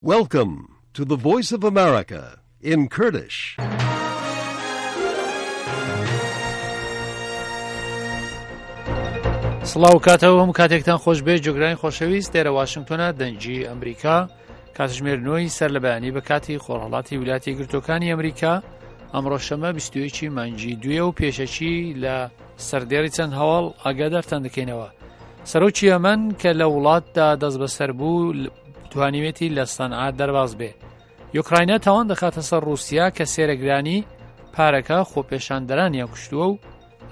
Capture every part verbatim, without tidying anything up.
Welcome to the Voice of America in Kurdish. سڵاو کاتەوە، هەموو کاتێکتان خۆش بێ. جۆگرانی خۆشەویست، دێرە واشنگتۆنە، دەنگی ئەمریکا. کاتژمێر نۆی سەر لە بەیانی بە کاتی خۆرهەڵاتی ویلایەتە یەکگرتووەکانی ئەمریکا. ئەمڕۆ شەممە بیست و یەکی مانگی دوویە و پێشەکی لە سەردێڕی چەند هەواڵ ئاگادارتان دەکەینەوە. سەرۆکی یەمەن کە لە وڵاتدا دەست بەسەر بوو، ل-، توانیوێتی لە سەنعا دەرباز بێ. یوکراینا تاوان دەخاتە سەر رووسیا کە سێرەگرانی پارەکە خۆپێشاندەرانیان کوشتووە و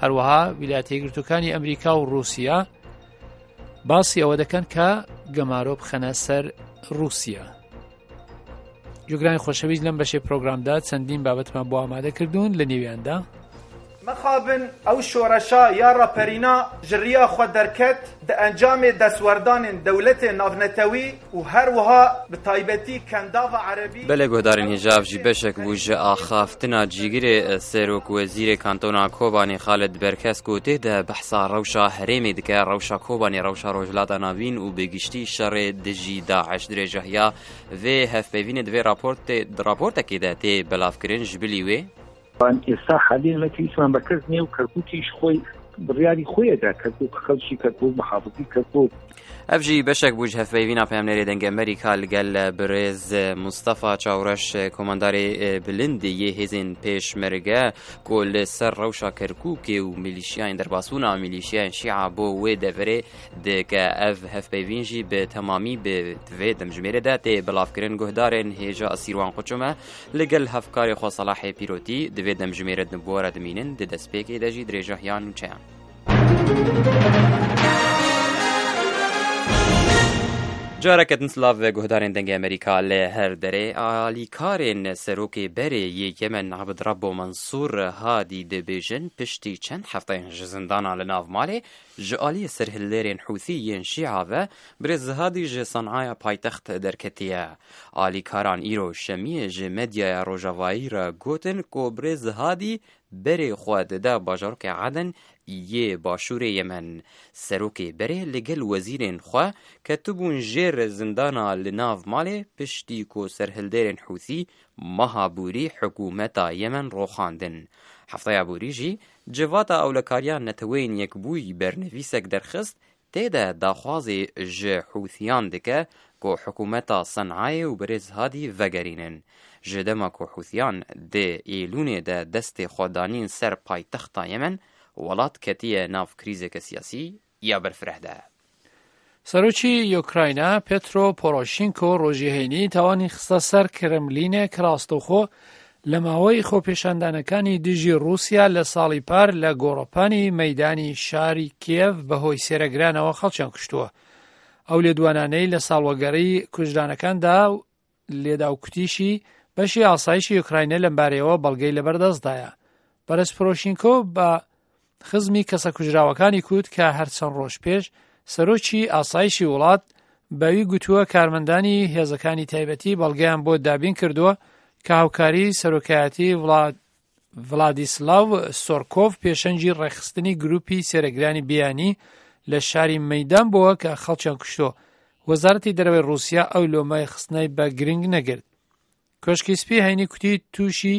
هەروەها ویلایەتە یەکگرتووەکانی ئەمریکا و رووسیا باسی ئەوە دەکەن کە گەمارۆ بخەنە سەر رووسیا. جۆگرانی خۆشەویست، لەم بەشەی پرۆگرامدا چەندین بابەتمان بۆ ئامادە کردوون، لە نێویاندا: Mixabin ew şoreşa ya raperîna ji riya xwe derket di encamê destwerdanên dewletê navnetewî û her wiha bi taybetî kendava erebî. Belê guhdarên hêja, ev jî beşek bû ji axaftina cîgirê serok wezîrê kantona Kobanê Xalid Berkes ku tê de behsa rewşa herêmê dike, rewşa Kobanê, rewşa Rojhilata Navîn û bi giştî şerê dijî DAIŞ. Dirêjahiya vê hevpeyvînê di vê raportê, di raportekê de tê belavkirin. Ji bilî wê, Van êsta halî me tîsman be Kirkûkê û Kirkûkî ji xwe biryarî xwe ye de Kirkûk, xelkî Kirkûk, muhafizî Kirkûk. Ev jî beşek bû ji hevpeyvîna peyamnêrê Dengê Amerîka li gel birêz Mustafa Çawreş, komandarê, e, bilind yê hêzên pêşmerge ku li ser rewşa Kirkûkê û milîşiyayên derbasbûna milîşiyayên Şîa bo wê deverê dike. Ev hevpeyvîn jî bi temamî bi vê demjimêrê de tê belavkirin. Guhdarên hêja Sîrwan Quçume li gel hevkarê xwe Selahê Pîrotî di vê demjimêrê di bo re dimînin, di destpêkê de jî dirêjahiya nûçeyan. Careke din silav ve guhdarên Dengê Amerîka li her derê. Alîkarên serokê berê yê Yemen Abd Rabbo Mansur Hadî dibêjin, piştî çend hefteyên ji zindana li nav malê, ji aliyê serhilderên Hûthî yên Şîa ve birêz Hadî ji Sanaya paytext derketiye. Alîkaran îro şemiyê ji medyaya rojavayî re gotin ku birêz Hadî berê xwe dide bajarokê Aden yê başûrê Yemen. Serokê berê li gel wezîrên xwe ketibûn jêr zindana li nav malê, piştî ku serhilderên Hûthî meha borî hikûmeta Yemen roxandin. Hefteya borî jî Civata Ewlekariya Neteweyên Yekbûyî bernivîsek derxist, tê de daxwazê ji Hûthiyan dike ku hikûmeta Senayê û birêz Hadî vegerînin. Ji dema ku Hûthiyan di Êlûnê de destê xwe danîn ser paytexta Yemen, welat ketiye nav krîzeke siyasî ya berfireh de. سەرۆکی یۆکراینا پێترۆ پۆرۆشینکۆ ڕۆژی هەینی تاوانی خستە سەر کرملینێک ڕاستەوخۆ لە ماوەی خۆپێشاندانەکانی دژی رووسیا لە ساڵی پار لە گۆڕەپانی مەیدانی شاری کیێڤ بەهۆی سێرەگرانەوە خەڵکیان کوشتووە. ئەو لێدوانانەی لە ساڵوەگەڕی کوژرانەکاندا لێدا و کوتیشی، بەشی ئاسایشی یۆکراینە لەمبارەیەوە بەڵگەی لەبەردەستدایە. بەرەز پرۆشینکۆ بە خزمی کەسە کوژراوەکانی کوت کە هەر چەند ڕۆژ پێش سەرۆکی ئاسایشی وڵات بەوی گوتووە کارمەندانی هێزەکانی تایبەتی بەڵگەیان بۆ دابین کردووە کە هاوکاری سەرۆکایەتی وڵات ڤلادیسلاو سۆرکۆڤ پێشەنگی ڕێکخستنی گروپی سێرەگرانی بیانی لە شاری مەیدان بووە کە خەڵکیان کوشتووە. وەزارەتی دەرەوەی رووسیا ئەو لۆمەی خستنەی بە گرنگ نەگرت. کۆشکی سپی هەینی کوتی تووشی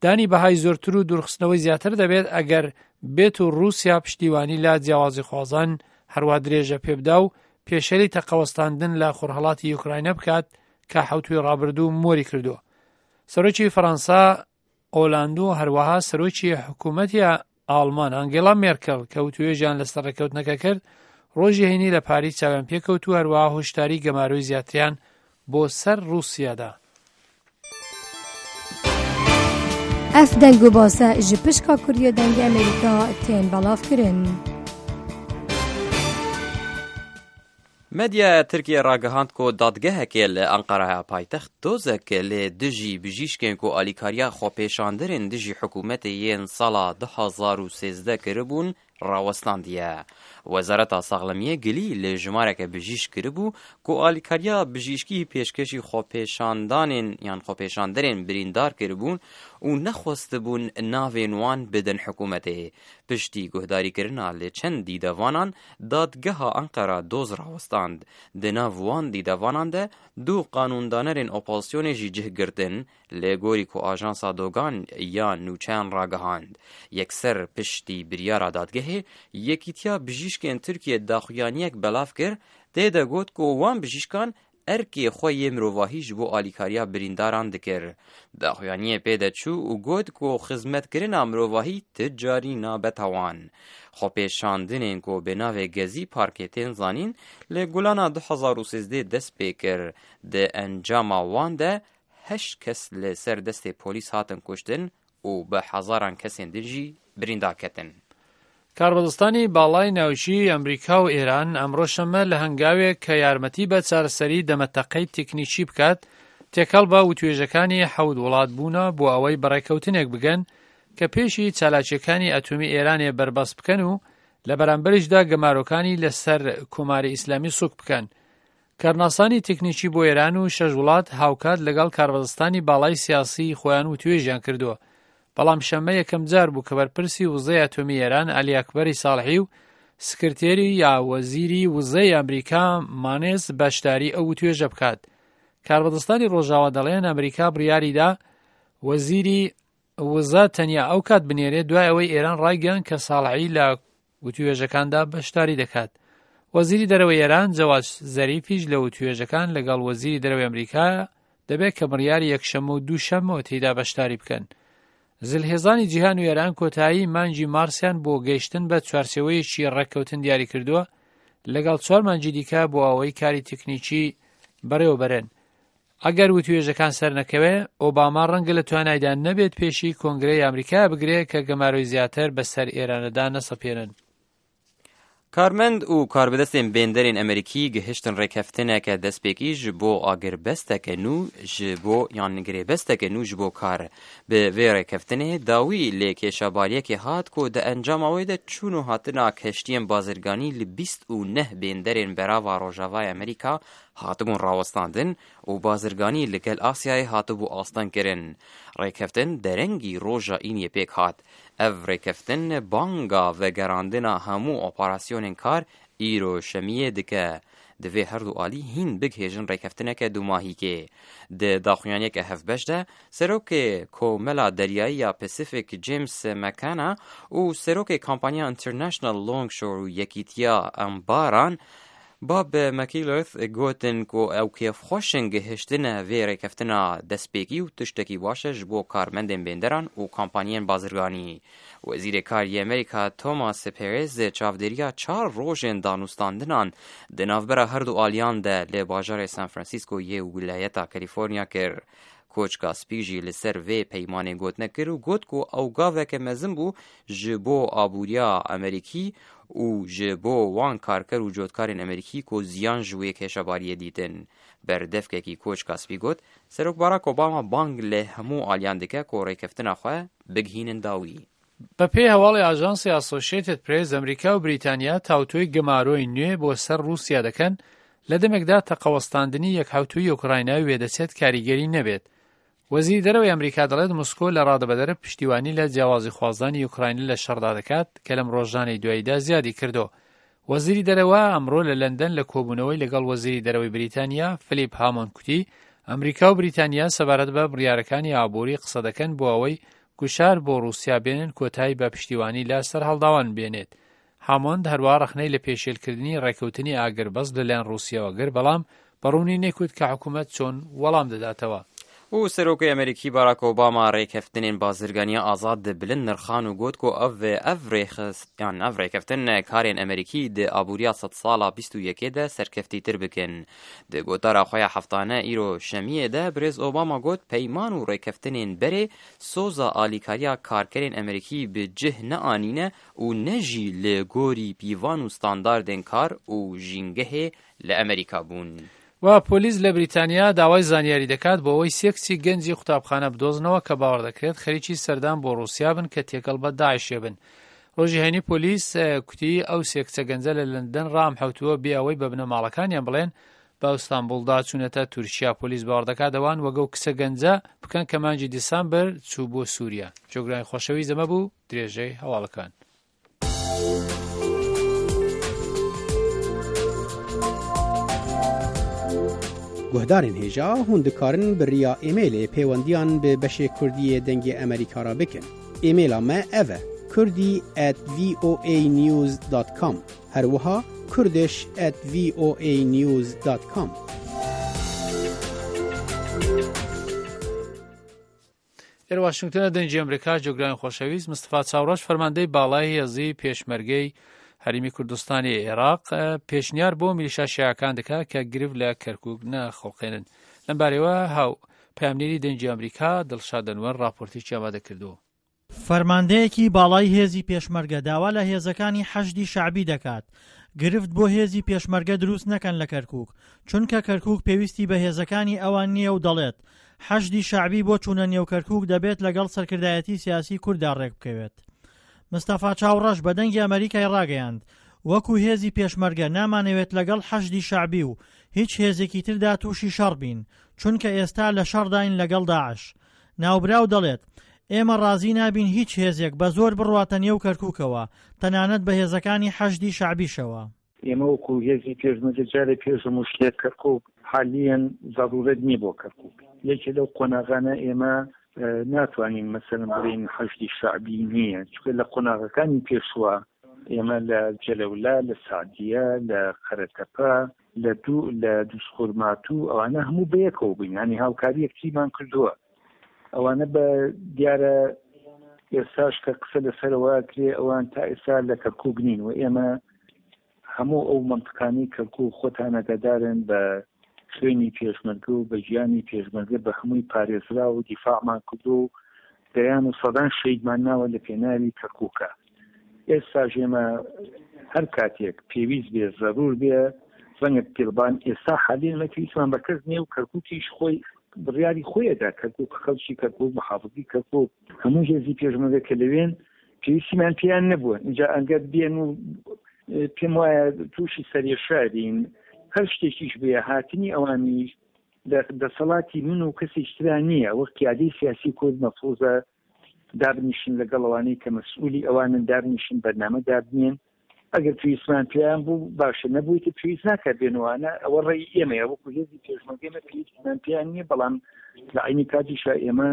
دانی بەهای زۆرتر و دوورخستنەوەی زیاتر دەبێت ئەگەر بێت و رووسیا پشتیوانی لە جیاوازی خوازان هەروە درێژە پێبدا و پێشێلی تەقەوەستاندن لە خۆرهەڵاتی یوکراینە بکات کە حەوتوی ڕابردوو مۆری کردووە. سەرۆکی فەڕەنسا ئۆلاند و هەروەها سەرۆکی حکوومەتی ئاڵمان ئەنگێلا مێرکەل کە وتوێژیان لەسەر ڕێکەوتنەکە کرد، ڕۆژی هەینی لە پاریس چاویان پێکەوت و هەروەها هۆشداری گەمارۆی زیاتریان بۆ سەر رووسیادا. Ev deng û base ji pişka Kurdiya Dengê Amerîka tên belavkirin. Medyaya Tirkiyê ragihand ku dadgehekê li Enqeraya paytext dozek li dijî bijîşkên ku alîkariya xwepêşanderên dijî hikûmetê yên sala du hazar û sêzdeh kiribûn, rawestandiye. Wezareta Saxlemiyê gilî li jimareke bijîşk kiribû ku alîkariya bijîşkî pêşkêşî xwepêşandanên yan xwepêşanderên birîndar kiribûn û nexwestibûn navên wan bidin hikûmetê. Piştî guhdarîkirina li çend dîdevanan, dadgeha Enqera doz rawestand. Di nav wan dîdevanan de du qanûndanerên opozisyonê jî cih girtin, li gorî ku ajansa Dogan ya nûçeyan ragihand. Yekser piştî biryara dadgehê, Yekîtiya Bijîşkên Tirkiye daxuyaniyek belav kir, tê de got ku wan bijîşkan erkê xwe yê mirovahî ji bo alîkariya birîndaran dikir. Daxuyaniyê pê de çû û got ku xizmetkirina mirovahî ti carî nabe tawan. Xwepêşandinên ku bi navê Gezî Parkê tên zanîn, li Gulana du hezar û sêzdeh dest pê kir. Di encama wan de heşt kes li ser destê polîs hatin kuştin û bi hezaran kesên din jî birîndar ketin. کاربەدەستانی باڵای ناوچەی ئەمریکا و ئێران ئەمڕۆ شەممە لە هەنگاوێک کە یارمەتی بە چارەسەری دەمەتەقەی تەکنیکی بکات، تێکەڵ بە وتوێژەکانی حەوت وڵات بوونە بۆ ئەوەی بەڕێکەوتنێک بگەن کە پێشی چالاکیەکانی ئەتۆمی ئێرانێ بەربەست بکەن و لە بەرامبەریشدا گەمارۆکانی لەسەر کۆماری ئیسلامی سوک بکەن. کارناسانی تەکنیکی بۆ ئێران و شەش وڵات هاوکات لەگەڵ کاربەدەستانی باڵای سیاسی خۆیان وتوێژیان کردووە. بەڵام شەممە یەکەم جار بوو کە بەرپرسی وزەی ئەتۆمی ئێران عەلی ئەکبەری ساڵحی و سکرتێری یا وەزیری وزەی ئەمریکا مانێس بەشداری ئەو وتوێژە بکات. کاربەدەستانی ڕۆژاوا دەڵێن ئەمریکا بڕیاریدا وەزیری وزە تەنیا ئەو کات بنێرێت دوای ئەوەی ئێران ڕایگەیاند کە ساڵحی لە وتوێژەکاندا بەشداری دەکات. وەزیری دەرەوەی ئێران جەواد زەریفیش لە وتوێژەکان لەگەڵ وەزیری دەرەوەی ئەمریکا دەبێت کە بڕیاری یەکشەممە و دووشەممەوە تێیدا بەشداری بکەن. زلهێزانی جیهان و ئێران کۆتایی مانگی مارسیان بۆ گەیشتن بە چوارچێوەیەکی ڕێککەوتن دیاری کردووە لەگەڵ چوار مانگی دیکە بۆ ئەوەی کاری تەکنیکی بەڕێوەبەرن. ئەگەر وتوێژەکان سەرنەکەوێ، ئۆباما ڕەنگە لە توانایدا نەبێت پێشی کۆنگرەی ئەمریکا بگرێ کە گەمارۆی زیاتر بەسەر ئێرانەدا نەسەپێنن. کارمەند و کاربەدەستên bênderên Amerîkî gihiştin rêkeftineke destpêkî ji bo agirbesteke nû ji bo yan girêbesteke nû ji bo kar. Bi vê rêkeftinê dawî lê kêşebariyekê hat ku di encama wê de çûn û hatina keştiyên bazirganî li bîst û neh bênderên berava Rojavayê Amerîka hatibûn rawestandin û bazirganî li gel Asyayê hatibû astengkirin. Rêkeftin derengî roja Îniyê pêk hat. Ev rêkeftin banga vegerandina hemû operasyonên kar îro şemiyê dike. Divê her du alî hîn bigihêjin rêkeftineke dumahîkê. Di daxuyaniyeke hevbeş de, Serokê Komela Deryayî ya Pacific James McKenna û Serokê Kampanya International Longshore û Yekîtiya Embaran Bob McKilleth gotin ku ew kêfxweş in gihiştine vê rêkeftina destpêkî û tiştekî baş e ji bo karmendên bênderan û kampanyên bazirganî. Wezîrê Kar yê Amerîka Thomas Perez çavdêriya çar rojên danûstandinan di navbera her du aliyan de li bajarê San Francisco yê wilayeta California kir. Koçka Spî jî li ser vê peymanê gotine kir û got ku ew gaveke mezin bû ji bo aboriya Amerîkî û ji bo wan karker û cotkarên Amerîkî ku ziyan ji wê kêşebariyê dîtin. Berdevkekî Koçka Spî got, Serok Barack Obama bang li hemû aliyan dike ku rêkeftina xwe bigihînin dawî. بە پێی هەواڵی ئاژانسی ئاسۆشیتد پرێس، ئەمریکا و بریتانیا تاوتوێی گەمارۆی نوێ بۆ سەر رووسیا دەکەن، لە دەمێکدا تەقەوەستاندنی یەکحەوتووی ئۆکراینای وێدەچێت کاریگەری نەبێت. وەزیری دەرەوەی ئەمریکا دەڵێت موسکۆ لە ڕادەبەدەرە پشتیوانی لە جیاوازی خوازانی ئۆکراینی لە شەڕدا دەکات کە لەم ڕۆژانەی دواییدا زیادی کردو. وەزیری دەرەوە ئەمڕۆ لە لەندەن لە کۆبوونەوەی لەگەڵ وەزیری دەرەوەی بریتانیا فلیپ هامۆند کوتی ئەمریکا و بریتانیا سەبارەت بە بڕیارەکانی ئابووری قسە دەکەن بۆ ئەوەی گوشار بۆ رووسیا بێنن کۆتایی بە پشتیوانی لە سەرهەڵداوان بێنێت. هامۆند هەروە ڕەخنەی لە پێشێلکردنی ڕێکەوتنی ئاگربەست لەلایەن رووسیاوە گر، بەڵام بەڕوونی نەکوت کە حکوومەت چۆن وەڵام دەداتەوە. û Serokê Amerîkî Barack Obama rêkeftinên bazirganiya azad di bilind nirxan û got ku ev ev rêxist yan ev rêkeftin karên Amerîkî di aboriya sedsala bîst û yekê de serkeftîtir bikin. Di gotara xwe ya heftane îro şemiyê de birêz Obama got peyman û rêkeftinên berê soza alîkariya karkerên Amerîkî bi cih neanîne û ne jî li gorî pîvan û standardên kar û jîngehê li Amerîka bûn. و پۆلیس لە بریتانیا داوای زانیاری دەکات بۆ ئەوەی سێ کچی گەنجی قوتابخانە بدۆزنەوە کە باوەڕ دەکرێت خەریکی سەردان بۆ رووسیا بن کە تێکەڵ بە داعشێ بن. ڕۆژی هەینی پۆلیس، ئە، کوتی ئەو سێ کچە گەنجە لە لەندەن ڕام حەوتووە بێ ئەوەی بە بنەماڵەکانیان بڵێن بە ئەستانبوڵدا چوونەتە تورکیا. پۆلیس باوەڕ دەکات ئەوان وەگەو کچە گەنجە بکەن کە مانگی دیسامبر چوو بۆ سووریا. جۆگرانی خۆشەویست ئەمە بوو درێژەی هەواڵەکان. Guhdarên hêja hûn dikarin bi riya emailê pêwendiyan bi beşê Kurdî yê Dengê Amerîka re bikin. Emaila me ev e, kurdî at voanews dot com. Her wiha kurdish at voanews dot com. لە واشنگتنە دەنگی ئەمریکا. جۆگرانی خۆشەویست، مستەفا چاوڕەش، فەرماندەی باڵای هێزی پێشمەرگەی هەرێمی کوردستانی عێراق، ئە، پێشنیار بۆ میلیشا شیعەکان دەکات کە گرفت لە کەرکووک نەخوڵقێنن. لەم بارەیەوە هاو پەیامنێری دەنگی ئەمریکا دڵشاد ئەنوەر راپۆرتێکی ئامادە کردووە. فەرماندەیەکی باڵای هێزی پێشمەرگە داوا لە هێزەکانی حەشدی شەعبی دەکات گرفت بۆ هێزی پێشمەرگە دروست نەکەن لە کەرکووک، چونکە کەرکووک پێویستی بە هێزەکانی ئەوان نییە و دەڵێت حەشدی شەعبی بۆ چوونە نێو کەرکووک دەبێت لەگەڵ سەرکردایەتی سیاسی کورددا ڕێک بکەوێت. مستەفا چاوڕەش بە دەنگی ئەمریکای ڕاگەیاند، وەکو هێزی پێشمەرگە نامانەوێت لەگەڵ حەشدی شەعبی و هیچ هێزێکی تردا تووشی شەڕ بین، چونکە ئێستا لە شەڕداین لەگەڵ داعش. ناوبراو دەڵێت، ئێمە ڕازی نابین هیچ هێزێک بە زۆر بڕواتە نێو کەرکووکەوە، تەنانەت بە هێزەکانی حەشدی شەعبیشەوە. ئێمە وەکو هێزی پێشمەرگە جارێ پێشم وشتێ کەرکووک حالیەن زەڕورەت نییە بۆ کەرکووک. یەکێ لەو قۆناغانە ئێمە، ئە، ناتوانین مەسەلەن بڵێین حەشدی شەعبی نییە، چونکە لە قۆناغەکانی پێشوە ئێمە لە جەلەولا، لە سەعدیە، لە قەرەتەپە، لە دوو، لە دووسخورماتوو، ئەوانە هەموو بەیەکەوە بووین، یانی هاوکاری یەکتریمان کردووە. ئەوانە بە دیارە ئێستاش کە قسە لەسەرەوە کرێ، ئەوان تا ئێستا لە کەرکووک نین و ئێمە هەموو ئەو مەنتقانەی کەرکووک خۆتان ئەگادارن بە خوێنی پێشمەرگە و بە گیانی پێشمەرگە بە هەمووی پارێزرا و دیفاعمان کردو و دەیان و سەدان شەیدمان ناوە لە پێناوی کەرکووکە. ئێستاش ئێمە هەر کاتێک پێویست بێ، زەرور بێ، ڕەنگە تیلبان ئێستا حالیەن مە پێویستمان بە کەس نیە و کەرکووکیش خۆی بڕیاری خۆی ئەدا. کەرکووک، خەڵکی کەرکووک، محافظی کەرکووک، هەموو هێزی پێشمەرگە کە لەوێن پێویستیمان پێیان نەبووە. اینجا ئەگەر بێن و، ئێ، پێم وایە تووشی سەرێشارین. هەر شتێکیش بێ، هاتنی ئەوانیش لە دەسەڵاتی من و کەسێکی ترا نییە. وەک قیادەی سیاسی کورد مەفروزە دابنیشن لەگەڵ ئەوانەی کە مەسئولی ئەوانن، دابنیشن بەرنامە دابنێن. ئەگەر پێویستمان پێیان بوو باشە، نەبوویتە پێویست ناکە بێنوانە. ئەوە ڕێی ئێمەیە، وەکو هێزی پێشمەرگە ئێمە پێویستمان پێیان نییە، بەڵام لە عینی کاتیشا ئێمە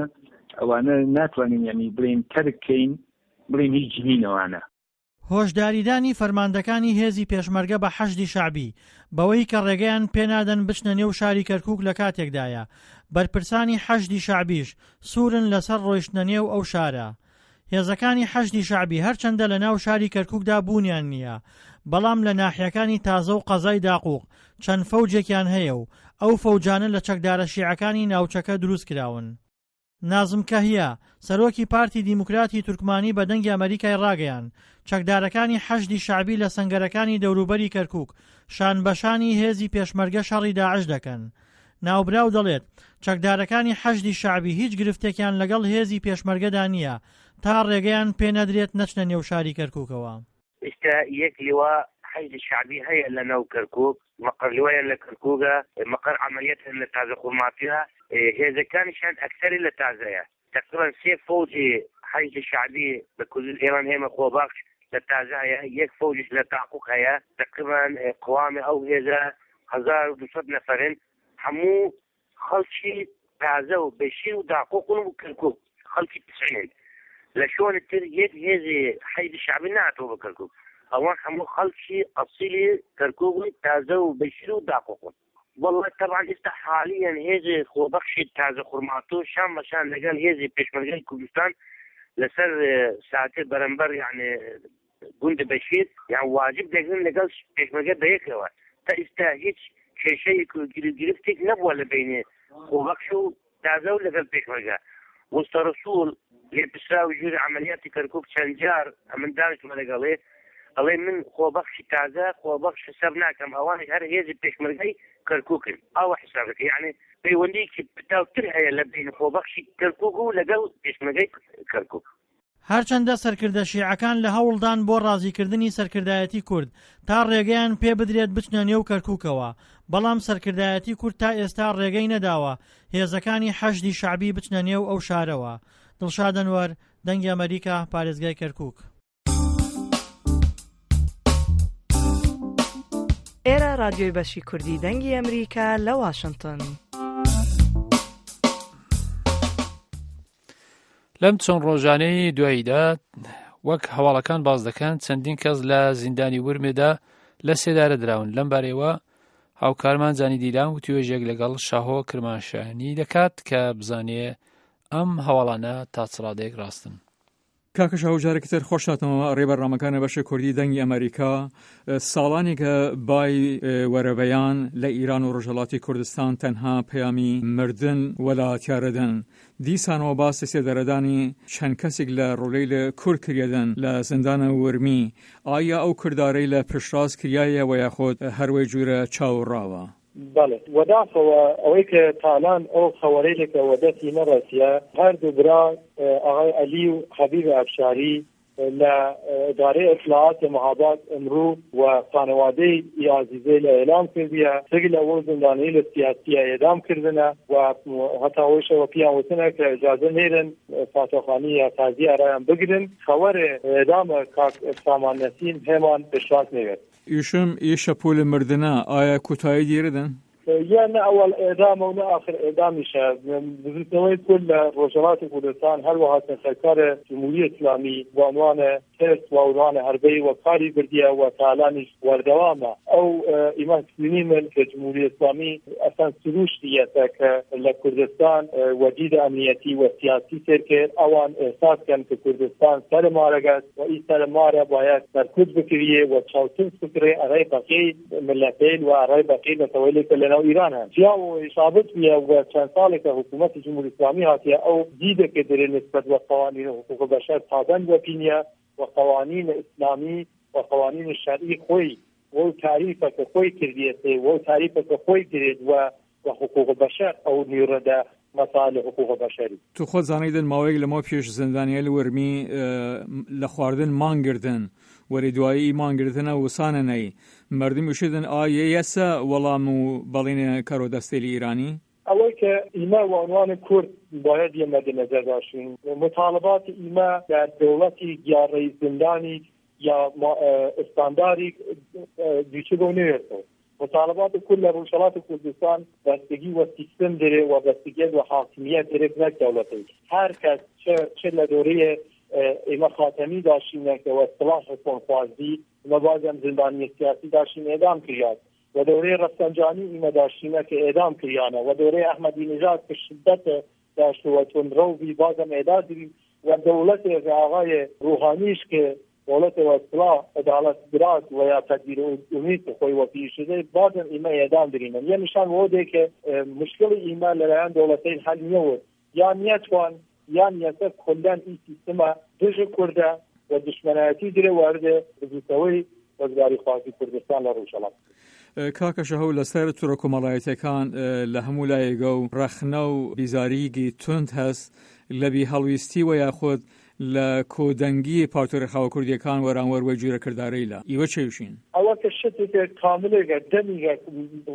ئەوانە ناتوانین یعنی بڵێن تەرک کەین، بڵێن هیچ نینەوانە. هۆشداریدانی فەرماندەکانی هێزی پێشمەرگە بە حەشدی شەعبی بەوەی کە ڕێگەیان پێنادەن بچنە نێو شاری کەرکووک لە کاتێکدایە بەرپرسانی حەشدی شەعبیش سوورن لەسەر ڕۆیشتنە نێو ئەو شارە. هێزەکانی حەشدی شەعبی هەرچەندە لە ناو شاری کەرکووکدا بوونیان نییە، بەڵام لە ناحیەکانی تازە و قەزای داقووق چەند فەوجێکیان هەیە و ئەو فەوجانە لە چەکدارە شیعەکانی ناوچەکە دروست کراون. نازم کەهیا، سەرۆکی پارتی دیموکراتی تورکمانی بە دەنگی ئەمریکای ڕاگەیاند، چەکدارەکانی حەشدی شەعبی لە سەنگەرەکانی دەوروبەری کەرکووک شان بەشانی هێزی پێشمەرگە شەڕی داعش دەکەن. ناوبراو دەڵێت، چەکدارەکانی حەشدی شەعبی هیچ گرفتێکیان لەگەڵ هێزی پێشمەرگەدا نییە تا ڕێگەیان پێ نەدرێت نەچنە نێو شاری کەرکووکەوە. ئێستا یەک لیوا حەشدی شەعبی هەیە لە ناو کەرکووک، مەقەر لیوایان لە کەرکووکە، مەقەر عەمەلیاتیان لە تازە خورماتیە، هێزەکانیشیان ئەکسەری لە تازەیە. تەقریبەن سێ فەوجی حەشدی شەعبی بە کوردی ئێران هێمە خۆبەخش لە تازە هەیە، یەک فەوجیش لە تاقوق هەیە. تەقریبەن قوامی ئەو هێزە هەزار و دوو سەد نەفەرن، هەموو خەڵکی تازە و بەشیر و داقوقن و کەرکووک خەڵکی پسعێن. لە شوێنی تر یەک هێزی حەشدی شەعبی نهاتووە بە کەرکووک. ئەوان هەموو خەڵکی ئەسیلی کەرکووک و تازە و بەشیر و داقوقن. والله طبعا ئێستا حالیەن هێزی خۆبەخشی تازە خورماتوو شان بە شان لەگەڵ هێزی پێشمەرگەی کوردستان لەسەر، ئێ، ساتێ بەرەمبەر، یعنی گوندی بەشیر، یان واجب دەگرن لەگەڵ پێشمەرگە بەیەکەوە. تا ئێستا هیچ کێشەیەک و گرفتێک نەبووە لە بینێ خۆبەخش و تازە و لەگەڵ پێشمەرگە. وستا رسول لێ پرسراوی ژووری عملیاتی کەرکووک چەند جار ئەمن دانیشتمە لەگەڵێ، ئەڵێ من خۆبەخشی تازە، خۆبەخش حساب ناکەم، ئەوانش هەر هێزی پێشمەرگەی کەرکووکن. ئاوە حساب دەکە، یعنی پەیوەندیەکی پتاوتر هەیە لە بین خۆبەخشی کەرکووک و لەگەڵ پێشمەرگەی کەرکووک. هەرچەندە سەرکردە شیعەکان لە هەوڵدان بۆ ڕازیکردنی سەرکردایەتی کورد تا ڕێگەیان پێ بدرێت بچنە نێو کەرکووکەوە، بەڵام سەرکردایەتی کورد تا ئێستا ڕێگەی نەداوە هێزەکانی حەشدی شەعبی بچنە نێو ئەو شارەوە. دڵشاد ئەنوەر، دەنگی ئەمریکا، پارێزگای کەرکووک. ئێرە ڕادیۆی بەشی کوردی دەنگی ئەمریکا لە واشنگتن. لەم چەند ڕۆژانەی دواییدا، وەک هەواڵەکان باس دەکەن، چەندین کەس لە زیندانی ورمێدا لە سێدارە دراون. لەم بارەیەوە هاوکارمان زانی دیلان وتیوێژێک لەگەڵ شاهۆ کرماشانی دەکات کە بزانێ ئەم هەواڵانە تا چ ڕادەیەک ڕاستن. کاکە شاهۆ، جارێکی تر خۆش هاتنەوە ڕێ بەرنامەکانە بەشە کوردی دەنگی ئەمریکا. ساڵانێکە بای وەرەبەیان لە ئیران و ڕۆژهەڵاتی کوردستان تەنها پەیامی مردن وەلاتیارەدن. دیسانەوە باسی سێدەرەدانی چەند کەسێک لە ڕۆلەی لە کورد کریەدن لە زندانە ورمی. ئایا ئەو کردارەی لە پشتڕاست کریایە و یاخود هەروەی جوورە چاوڕاوە؟ بەڵێ، وەداخەوە ئەوەی کە تالان ئەو خەوەرەیلێکە وە دەستی نەڕەسیە، هەردوو برا ئاغای عەلی و حەبیب ئەفشاری لە ئدارەی ئەتلاعات مەهاباد ئمڕوو و خانەوادەی ئی عەزیزەیلە ئێلام کردیە، سگ لە وەو زندانەیلە سیاسیە ئێدام کردنە و هەتا وەیشەوە پیان وتنە کە ئجازە نێرن فاتۆخانی یا تازی ئەرایان بگرن. خەوەرێ ئێدامە کاک سامان نەسیم هێمان پشتڕاست نێرێت. ئیشم ئیشە پول مردنە ئایا کوتایی دیردن؟ یە نە ئەوەڵ ئێدامە و نە ئاخر ئێدامیشە. بزوتنەوەی کورد لە ڕۆژهەڵاتی کوردستان هەروەها سەرکارە جمهوری ئیسلامی بە عنوانە ترس و عنوانە هەربەی وە کاری بردیە و تالانیش وەردەوامە. ئەو ئیمە سنی من کە جمهوری ئیسلامی ئەسەن سروشتی یەسە کە لە کوردستان وە دیدە ئەمنیەتی و سیاسی سێر کرد ئەوان ئێساس کەن کە کوردستان سەر مارەگەس و ئی سەر مارە باید سەرکوت بکریە و چاوترس بکرێ ئەڕای بەقی ملەتەیل و ئەڕای بەقی نەتەوەیلێ کە لەناو ئیران هەن. جیا و ثابت بیە و چەند ساڵێکە حکوومەتی جمهوری ئیسلامی هاتیە ئەو دیدە کە درێ نسبەت وە قوانین حقوق بەشەر پابەند وە پینیە و قوانین ئیسلامی و قوانین شەرعی خۆی و تعریفە کە خۆی کردیەتێ و تعریفە کە خۆی گرێت و و حقوق بەشەر ئەو نیڕەدە مەسائل حقوق بەشەری. تو خۆت زانیدن ماوەیەک لەمەو پێش زندانیە لە وەرمی لە خواردن مانگردن وەری دوایی مانگردنە وسانە نەی مردم وشیدن ئا یە یەسە وەڵام و بەڵینە کەرۆ دەستێلی ئیرانی؟ ئەوەی کە ئیمە وە عنوان کورد باید یە مەد نەزەر داشین مطالبات ئیمە لە دەوڵەتی گیاڕەی زندانی یا ئستانداری دوچی بۆ نوێتەوە. مطالبات کل لە ڕوژهەڵات و کوردستان بەستگی وە سیستم دەرێ و بەستگیت وە حاکمیت دەرێت نەک دەوڵەتی. هەر کەس چ چ لە دۆرەیە ئێمە خاتەمی داشینە کە وە سلاح حکوم خوازی ئمە بازم زندانی سیاسی داشین ئێدام کریات و دەورەی ڕەفسەنجانی ئیمە داشینە کە ئێدام کریانە و دەورەی ئەحمەدی نژاد کە شدەت داشتوە تون ڕەوبی بازم ئێدادری و دەوڵەتێ ئاغای ڕوحانیش کە دەوڵەتێ وە سلاح عدالت برات و یا تدبیر امید خۆی وە پیشده بازم ئیمە ئێدام درینن. یە نشان وە دێ کە مشکلی ئیمە لەلایەن دەوڵەتەیل حل نیەوت یان نیەتوان یان یەسە کلەن ئی سیستمە دژ کوردە و دشمنایەتی درێ وەردێ بزوتەوەی وەزگاری خوازی کوردستان لە ڕوژەڵات. کاکە شەهو لەسەر تورە کۆمەڵایەتەکان لە هەموو لایەگە و ڕەخنە و بیزاریگی تند هەست لە بی هەڵویستی و یاخود لە کۆدەنگی پارتۆ ڕێخاوە کوردیەکان وەرانوەر وەی جوورە کردارەیلە ئیوە چێوشین؟ ئەوە کە شتێکە کاملێکە دەمیگە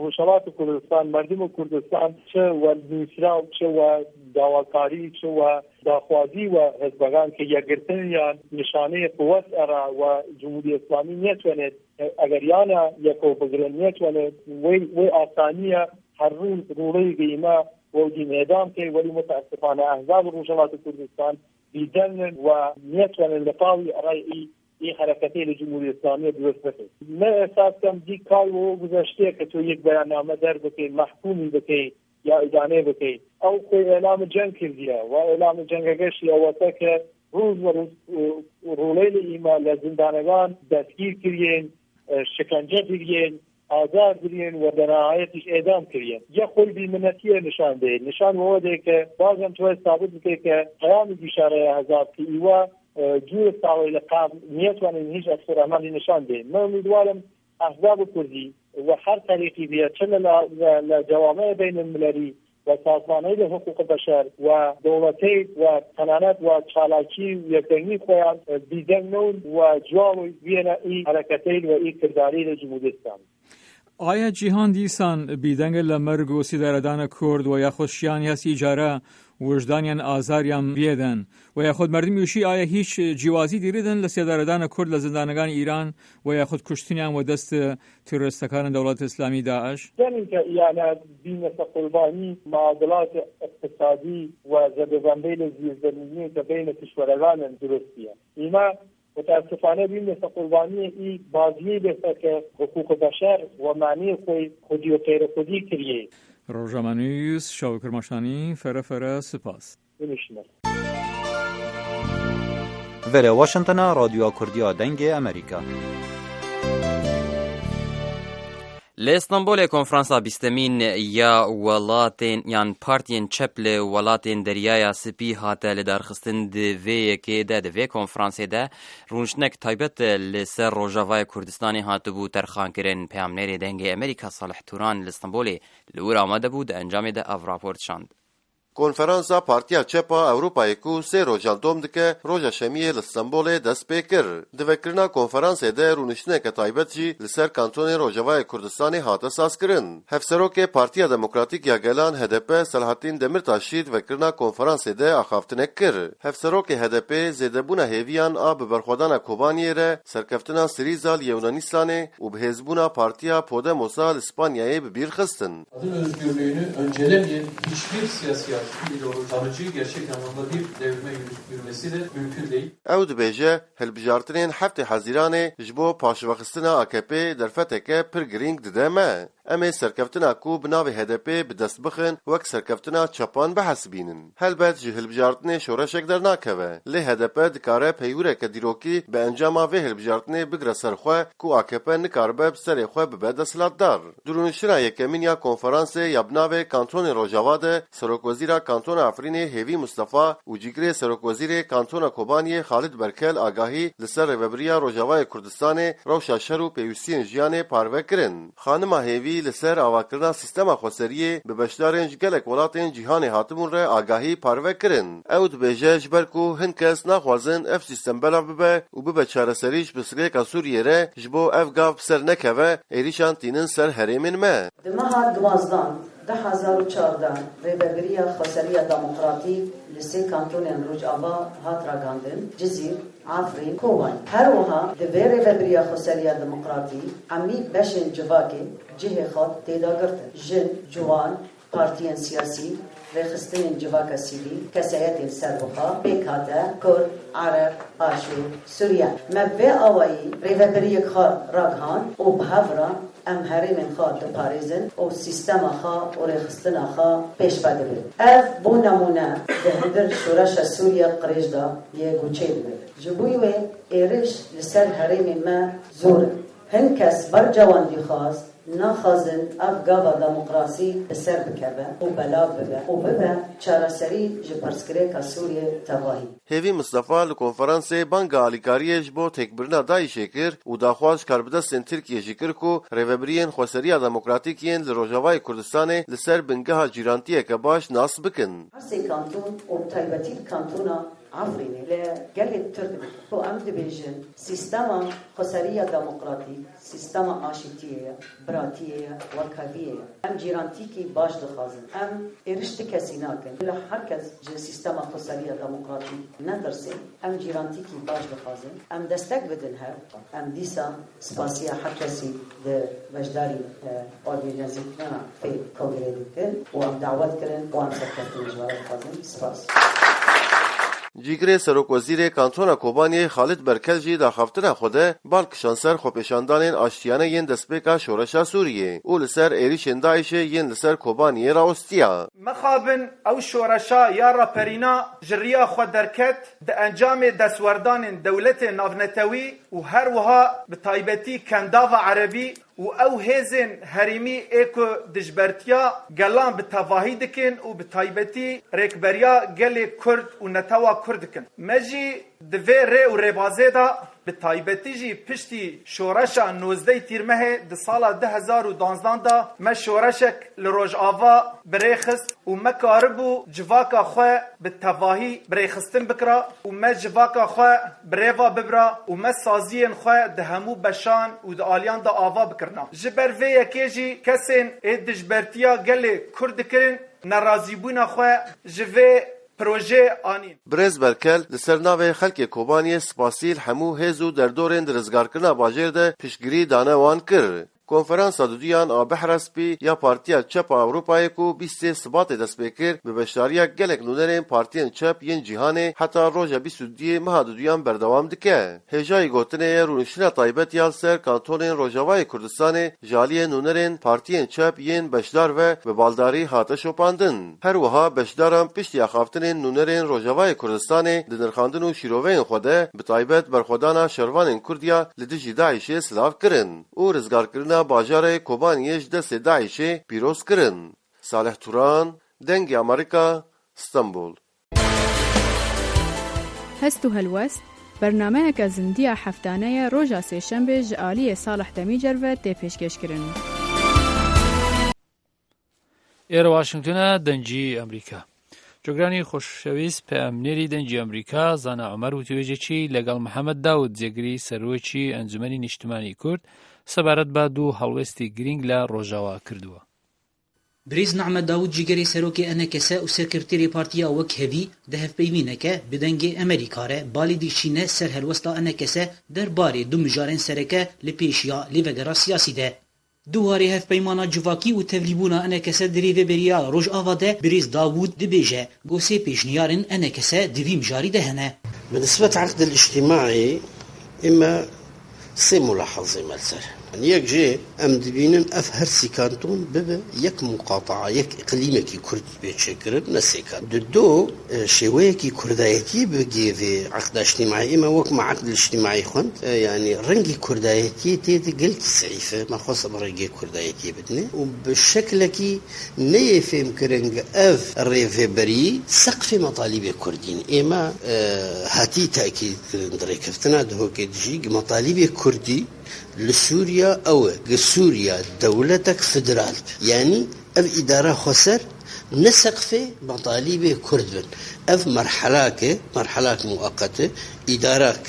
ڕوژەڵات و کوردستان مردم و کوردستان چ وە نووسرا و چ وە داواکاری چ وە داخوازی وە هەزبەگان کە یەکگرتن یان نیشانەی قوت ئەرا وە جمهوری ئیسلامی نیەتوەنێت ئەگەر یانە یەکەو بگرن نیەتوەنێت وەی وەی ئاسانیە هەر ڕوو ڕوڵەی گەیمە وەو دین ئێدام کەی وەلی متاسفانە ئەحزاب ڕوژەڵات کوردستان بیدەنن و نیەتوەنن لە پاڵی ئەڕای ئی ئی حرەکەتەی لە جمهوری ئیسلامی دروست بکەن. من ئێساس کەم دی کار وەو گوزەشتەیە کە تۆ یەک بەیاننامە دەر بکەی مەحکومی بکەی یا ئیدانەی بکەی. ئەو خۆی ئێلام جەنگ کردیە و ئێلام جەنگەگەشی ئەوەسە کە ڕوز وە ڕوز ڕوڵەی لە ئیمە لە زندانەگان دەستگیر کریەن، شکنجە کریەن، ئازار درین و دەناهایەتیش ئێدام کریەن. یە خۆی بیمنەتیە نشان دەیە. نشان وەوە دەیە کە بازم توێ سابت بکەی کە پەیامی گیشارەیە هەزار کە ئیوە جوور ساوەی لە قام نیەتوانین هیچ ئەکسەر ئەمانی نشان دەین. من ئومیدوارم ئەحزاب کوردی و هەر تەریقی بیە چ لە لە جەوامەیە بین المللی و سازمانەیل حقوق بەشەر و دەوڵەتەیل و تەنانەت و چالاکی و یەکدەنگی خۆیان بیدەنگ نەون و جواب ویەنە ئی حەرەکەتەیل و ئی کردارەیل جمهوری ئیسلامی. ئایا جیهان دیسان بیدەنگە لە مەرگ و سیدارەدانە کورد و یاخود شیان هەس ئیجارە وژدانیان ئازاریان بیەدەن و یاخود مردم یوشی ئایا هیچ جیوازی دیریدن لە سیدارەدانە کورد لە زندانەکان ئیران و یاخود کوشتنیان و دەست تیرۆریستەکان دەوڵەت ئیسلامی داعش؟ دەنین کە ئیانە بینەسە قوربانی معادلات اقتصادی و زەدەزەندەی لە زیرزەمینی کە بینە کشوەرەگانن دروستیە. ئیمە متاسفانە بینەسە قوربانی ئی بازیەی لەسە کە حقوق بەشەر و مانی خۆی خودی و غیر خودی کریە. ڕۆژامانویس شاو کرماشانی، فەرە فەرە سپاس. بنووسینە. Vere Washingtona, Radyoya Kurdiya Dengê Amerîka. Li Stenbolê konferansa bîstemîn ya welatên yan partiyên çep li welatên Deryaya Spî hate lidarxistin. Di vê yekê de, di vê konferansê de rûniştinek taybet li ser Rojavayê Kurdistanê hatibû terxankirin. Peyamnêrê Dengê Amerîka Salih Turan li Stenbolê li wir amade bû, di encamê de ev rapor dişand. Konferansa Partiya Çep a Ewropayê ku sê rojan dom dike, roja Şemiyê li Stenbolê dest pê kir. Di vekirina konferansê de rûniştineke taybet jî li ser kantonên Rojavayê Kurdistanê hate sazkirin. Hevserokê Partiya Demokratîk ya Gelan, H D P, Selahattin Demirtaş jî di vekirina konferansê de axaftinek kir. Hevserokê H D P zêdebûna hêviyan a bi berxwedana Kobaniyê re serkeftina Sirîza li Yewnanistan û bihêzbûna Partiya Podemosa li Spanyayê bi bîr xistin. Kadın özgürlüğünü öncelemeyen hiçbir siyasi artık ideoloji aracı gerçek anlamda bir devrime yürü-, yürümesi de mümkün değil. Ew dibêje, hilbijartinên heftê Hezîranê ji bo paşvexistina A K P derfeteke pir girîng dide me. Em ê serkeftina ku bi navê H D P bi dest bixin, wek serkeftina çepan bihesibînin. Helbet ji hilbijartinê şoreşek dernakeve. Lê H D P dikare peywireke dîrokî bi encama vê hilbijartinê bigire ser xwe ku A K P nikaribe bi serê xwe bibe desthilatdar. Di rûniştina yekemîn ya konferansê ya bi navê Kantonên Rojava de Serokwezîra Kantona Efrînê Hêvî Mistefa û cîgirê Serokwezîrê Kantona Kobaniyê Xalid Berkel agahî li ser rêvebiriya Rojavayê Kurdistanê, rewşa şer û pêwîstiyên jiyanê parve kirin. Xanima Hêvî li ser avakirina sîstema xweseriyê bi beşdarên ji gelek welatên cîhanê hatibûn re agahî parve kirin. Ew dibêje, ji ber ku hin kes naxwazin ev sîstem belav bibe û bibe çareserî ji pirsgirêka Sûriyê re, ji bo ev gav bi ser nekeve, êrîşan tînin ser herêmên me. Di meha duwazdan du hezar û çardeh rêvebiriya Xweseriya Demokratîk li sê kantonên Rojava hat ragandin, Cizîr, Efrîn, Kobanî. Her wiha di vê rêvebiriya Xweseriya Demokratîk hemî beşên civakê cihê xwe tê de girtin. Jin, ciwan, partiyên siyasî, rêxistinên civaka sivîl, kesayetên serbixwe, pêkhate, Kurd, Ereb, Aşûr, Suryan. Me bi vê awayî rêvebiriyek xwe ragihand û bi hev re em herêmên xwe diparêzin û sîstema xwe û rêxistina xwe pêş ve dibin. Ev, bo nemûne, di hundir şoreşa Sûriye qirêj de yê guçê dibe. Ji bo wê êrîş li ser herêmên me zor in. Hin kes bercewendî xwest, naxwazin ev gava demokrasî bi ser bikeve û belav bibe û bibe çareserî ji pirsgirêka Sûriyê tevahî. Hêvî Mistefa li konferansê banga alîkariyê ji bo têkbirina DAIŞê kir û daxwaz ji karbidestên Tirkiyê jî kir ku rêvebiriyên Xweseriya Demokratîk yên li Rojavayê Kurdistanê li ser bingeha cîrantiyeke baş nas bikin. Her sê kanton û bi taybetî li kantona Efrînê li gelê Tirk de ku em dibêjin sîstema xweseriya demokratîk, sîstema aşîtiyê ye, biratiyê ye, wekheviyê ye. Em cîrantîkî baş dixwazin. Em êriş ti kesî nakin. Li her kes ji sîstema xweseriya demokratîk netirsin. Em cîrantîkî baş dixwazin. Em destek bidin hev. Em dîsa spasiya her kesî di beşdarî, e, organîzekirina fê kongrê dikin û em dawet kirin û em serkeftinê ji we re dixwazin. Spas. Cîgirê Serokwezîrê Kantona Kobaniyê Xalid Berkel jî daxaftina xwe de bal kişand ser xwepêşandanên aştiyane yên destpêka şoreşa Sûriyê û li ser êrîşên DAIŞê yên li ser Kobaniyê rawestiya. Mixabin ew şoreşa ya raperîna ji riya xwe derket, di encamê destwerdanên dewletên navnetewî û her wiha bi taybetî Kendava Erebî û ew hêzên herêmî ê ku dijbertiya gelan bi tevahî dikin û bi taybetî rêkberiya gelê Kurd û netewa Kurd dikin. Me jî di vê rê û rêbazê de Bi taybetî jî piştî şoreşa nozdeh Tîrmehê di sala du hezar û duwazdeh de me şoreşek li Rojava bi rê xist û me karibû civaka xwe bi tevahî bi rêxistin bikira û me civaka xwe bi rê ve bibira û me saziyên xwe di hemû beşan û di aliyan de ava bikirina. Ji ber vê yekê jî kesên ê dijbertiya gelê Kurd dikirin nerazîbûna xwe ji vê projeyê anîn. Birêz Merkel li ser navê xelkê Kobaniyê spasî li hemû hêz û derdorên di rizgarkirina bajêr de piştgirî dane wan kir. Konferansa duduyan a Behra Spî ya Partiya Çep a Ewropayê ku bîst sê Sibatê dest pê kir, bi beşdariya gelek nûnerên partiyên çep yên cîhanê heta roja bîst û duyê meha duduyan berdewam dike. Hêjayî gotinê ye rûniştina taybet ya li ser kantonên Rojavayê Kurdistanê ji aliyê nûnerên partiyên çep yên beşdar ve bi baldarî hate şopandin. Her wiha beşdaran piştî axaftinên nûnerên Rojavayê Kurdistanê di nirxandin û şîroveyên xwe de bi taybet berxwedana şervanên Kurd ya li dijî DAIŞê silav kirin û rizgarkirina bajarê Kobaniyê ji destê DAIŞê pîroz kirin. Salih Turan, Dengê Amerîka, Stenbol. Hest û helwest, bernameyeke zindiya heftane ye roja sêşembê ji aliyê Salih Demîcer ve tê pêşkêşkirin. ئێرە واشنگتنە، دەنگی ئەمریکا. جۆگرانی خۆشەویست، پەیامنێری دەنگی ئەمریکا، زانا عومەر، وتیوێژێکی لەگەڵ محەممەد داود، جێگری سەرۆکی ئەنجومەنی نیشتمانی کورد، سەبارەت بە دوو هەڵوێستی گرنگ لە ڕۆژاوا کردووە. Birêz Nehmet Dawûd, cîgerê serokê ENKS û serkeftirê partiya Wekhevî, di hevpeywîneke bi Dengê Emerîka re balê dîşîne ser helwesta ENKS der barê du mijarên sereke li pêşiya lêvegera siyasî de. Di warê hevpeymana civakî û tevlîbûna ENKS di Rêveberiya Rojava de birêz Dawûd dibêje, ku sê pêşniyarên ENKS di vî mijarî de hene. Bi nisbet eqdil îctimaî, ê me sê mulahazê me li ser. Yek jê em dibînin ev her sî kanton bibe yek muqataa, yek îqlîmekî Kurd bê çêkirin, ne sê kanton. Di do, e, şêweyekî Kurdayetiyê bi gê vê eqda îctimaî, ê me wek me eqd îctimaî xwend, e, yanî rengî Kurdayetiyê tê de gelkî zeîf e. Me xwest em rengê Kurdayetiyê bidinê û bi şeklekî neyê fêmkirin ev rêveberî seqfê metalîbê Kurdî ne. Ê me, e, hatî tekîd kirin di rêkeftina Duhokê de jî, gi metalîbê Kurdî li Sûriya ew e, gi Sûriya dewletek federal be. Yanî ev îdara xweser ne seqfê metalîbê Kurd bin. Ev merhelak e, merhelak muweqet e, îdarak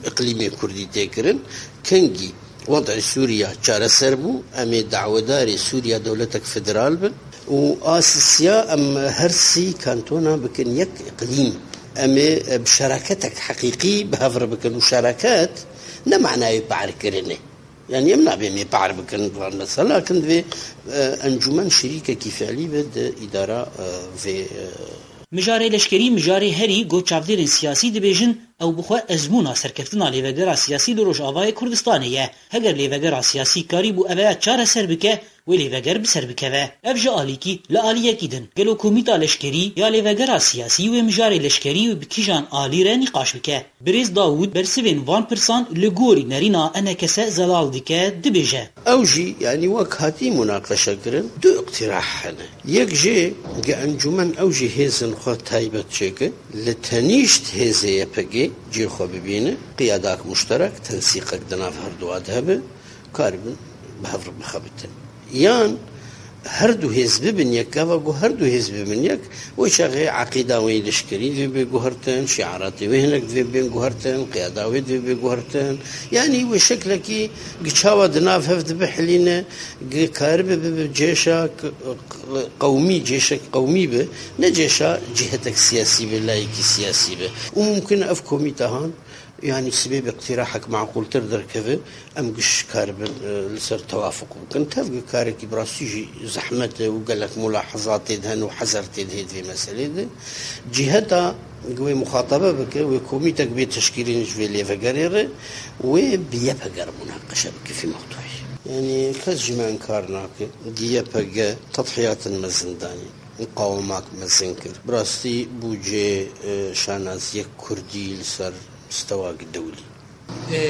îqlîmê Kurdî tê kirin. Kengî wed'ê Sûriya çareser bû, em ê dawedarê Sûriya dewletek federal bin û a sisiya em her sî kantona bikin yek îqlîm. Em ê, e, bi şeraketek heqîqî bi hev re bikin û şeraket ne manayê pahrkirinê. Yanî em nabê em ê pahr bikin, mesela kin divê, e, encûmen şirîkekî fiilî be di îdara, e, vê, e, Mijarê leşkerî, mijarê herî ku çavdêrên siyasî dibêjin, ew bi xwe ezmûna serkeftina lêvegera siyasî li Rojavayê Kurdistanê ye. Heger lêvegera siyasî karîbû ev ya çareser bike, wê lêveger bi ser bikeve. Ev ji alîkî, li aliyekî din, gelo komîta leşkerî ya lêvegera siyasî wê mijarê leşkerî wê bi kîjan alî re nîqaş bike? Birêz Dawûd bersivên van pirsan li gorî nerîna ENKS zelal dike, dibêje. Ew jî, yanî wek hatî munaqeşe kirin, du îqtîrah hene. Yek jê, ge encûmen ew jî hêzên xwe taybet çêke, li tenîşt hêzê YPG cihê xwe bibîne, qiyadak muşterek, tensîqek di nav herduwa de hebe, karibin bi hev re bixebitin. Yan her du hêz bibin yek, gava ku her du hêz bibin yek, wê çaxê eqîda wê leşkerî divê bê guhertin, şiaratê wê hinek divê bên guhertin, qiyada wê divê bê guhertin. Yanî wê şeklekî gi çawa di nav hev dibihilîne, gi karibe bibe cêşa k-, k-, qewmî, cêşek qewmî be, ne cêşa cîhetek siyasî be, layekî siyasî be. Û mumkin e ev komîte han, yanî sibê bi îqtîrahek meqûltir derkeve, em giş karibin, e, li ser tewafuq bikin. Tev gi karekî bi rastî jî zehmet e û gelek mulahezatê de hene û hezer tê de hê di vê meselê de. Cîheta gi wê muxatabe bike, wê komîtek bê teşkîlîn ji vê lêvegerê re, wê bi YPG re munaqeşe bike fî mewdûî. Yanî kes ji me inkar nake, di YPG tedhiyatin mezin danîn, muqawemak mezin kir. Bi rastî bûcê, e, şanaziyek kurdî li ser mistewak dewlî. E,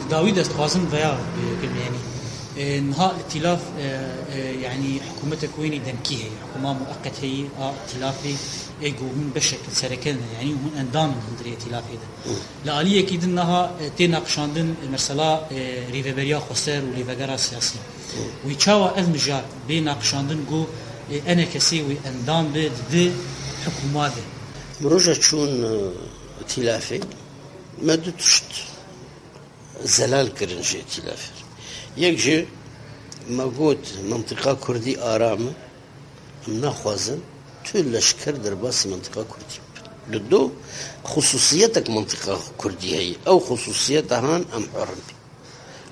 di dawî de ez dixwazim veya, e, bikim, yanî, e, niha îtîlaf, e, e, yanî hikûmetek wênî demkî heye, hikûma mueqet heye, a îtîlafê, Ê ku hûn beşek li sereke ne, yanî hûn endam in hundirê îtîlafê de. Li aliyekî din niha, e, tê naqişandin, e, mesela, e, rêveberiya xweser û lêvegera siyasî. Wî çawa ev mijar bê naqişandin ku, e, enekesê wî endam be di hikûma de? Min roja çûn, e, îtîlafê, me du tişt zelal kirin ji îtîlafê. Yek jî me got, mintîqa kurdî aram e, em naxwazin tu leşker derbasî mintîqa kurdî bibin. Li do, xusûsiyetek mintîqa kurdî heye. Ew xusûsiyeta han em hur in pê.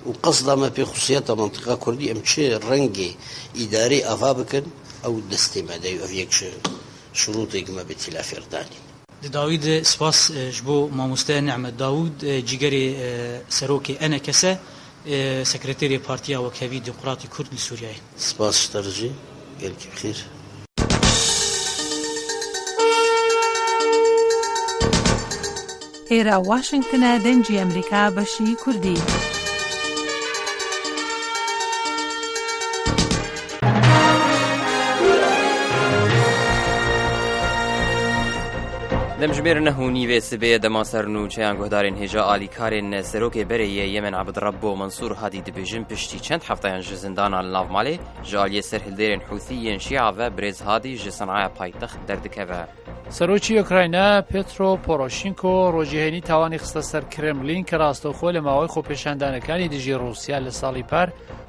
Û qesda me pê xusûsiyeta mintîqa kurdî, em çi rengê îdarê ava bikin, ew destê me de ye, ev yek ji şurûtê ku me bi îtîlafê re danîn. Di dawî de spas, e, ji bo mamoste Nehmet Dawûd, e, cîgerê, e, serokê E N K S, e, sekreterê Partiya Wekhevî Demokratî Kurd li Sûriyeyê. Spas ji te re jî, gelkî bi xêr. Êra Washington e, Dengê Amerîka, beşî Kurdî. Demjimêr neh û nîvê sibê ye dema ser nûçeyan guhdarên hêja alîkarên serokê berê yê Yemen Abd Rabbo Mansûr Hadî dibêjin piştî çend hefteyan ji zindana li nav malê ji aliyê serhildêrên Hûthî yên Şîa ve birêz Hadî ji Senaya paytext derdikeve. سەرۆکی ئۆکراینا پێترۆ پۆرۆشینکۆ ڕۆژی هەینی تاوانی خستە سەر کرێملین کە ڕاستەوخۆ لە ماوەی خۆپێشاندانەکانی دژی ڕووسیا لە ساڵی پار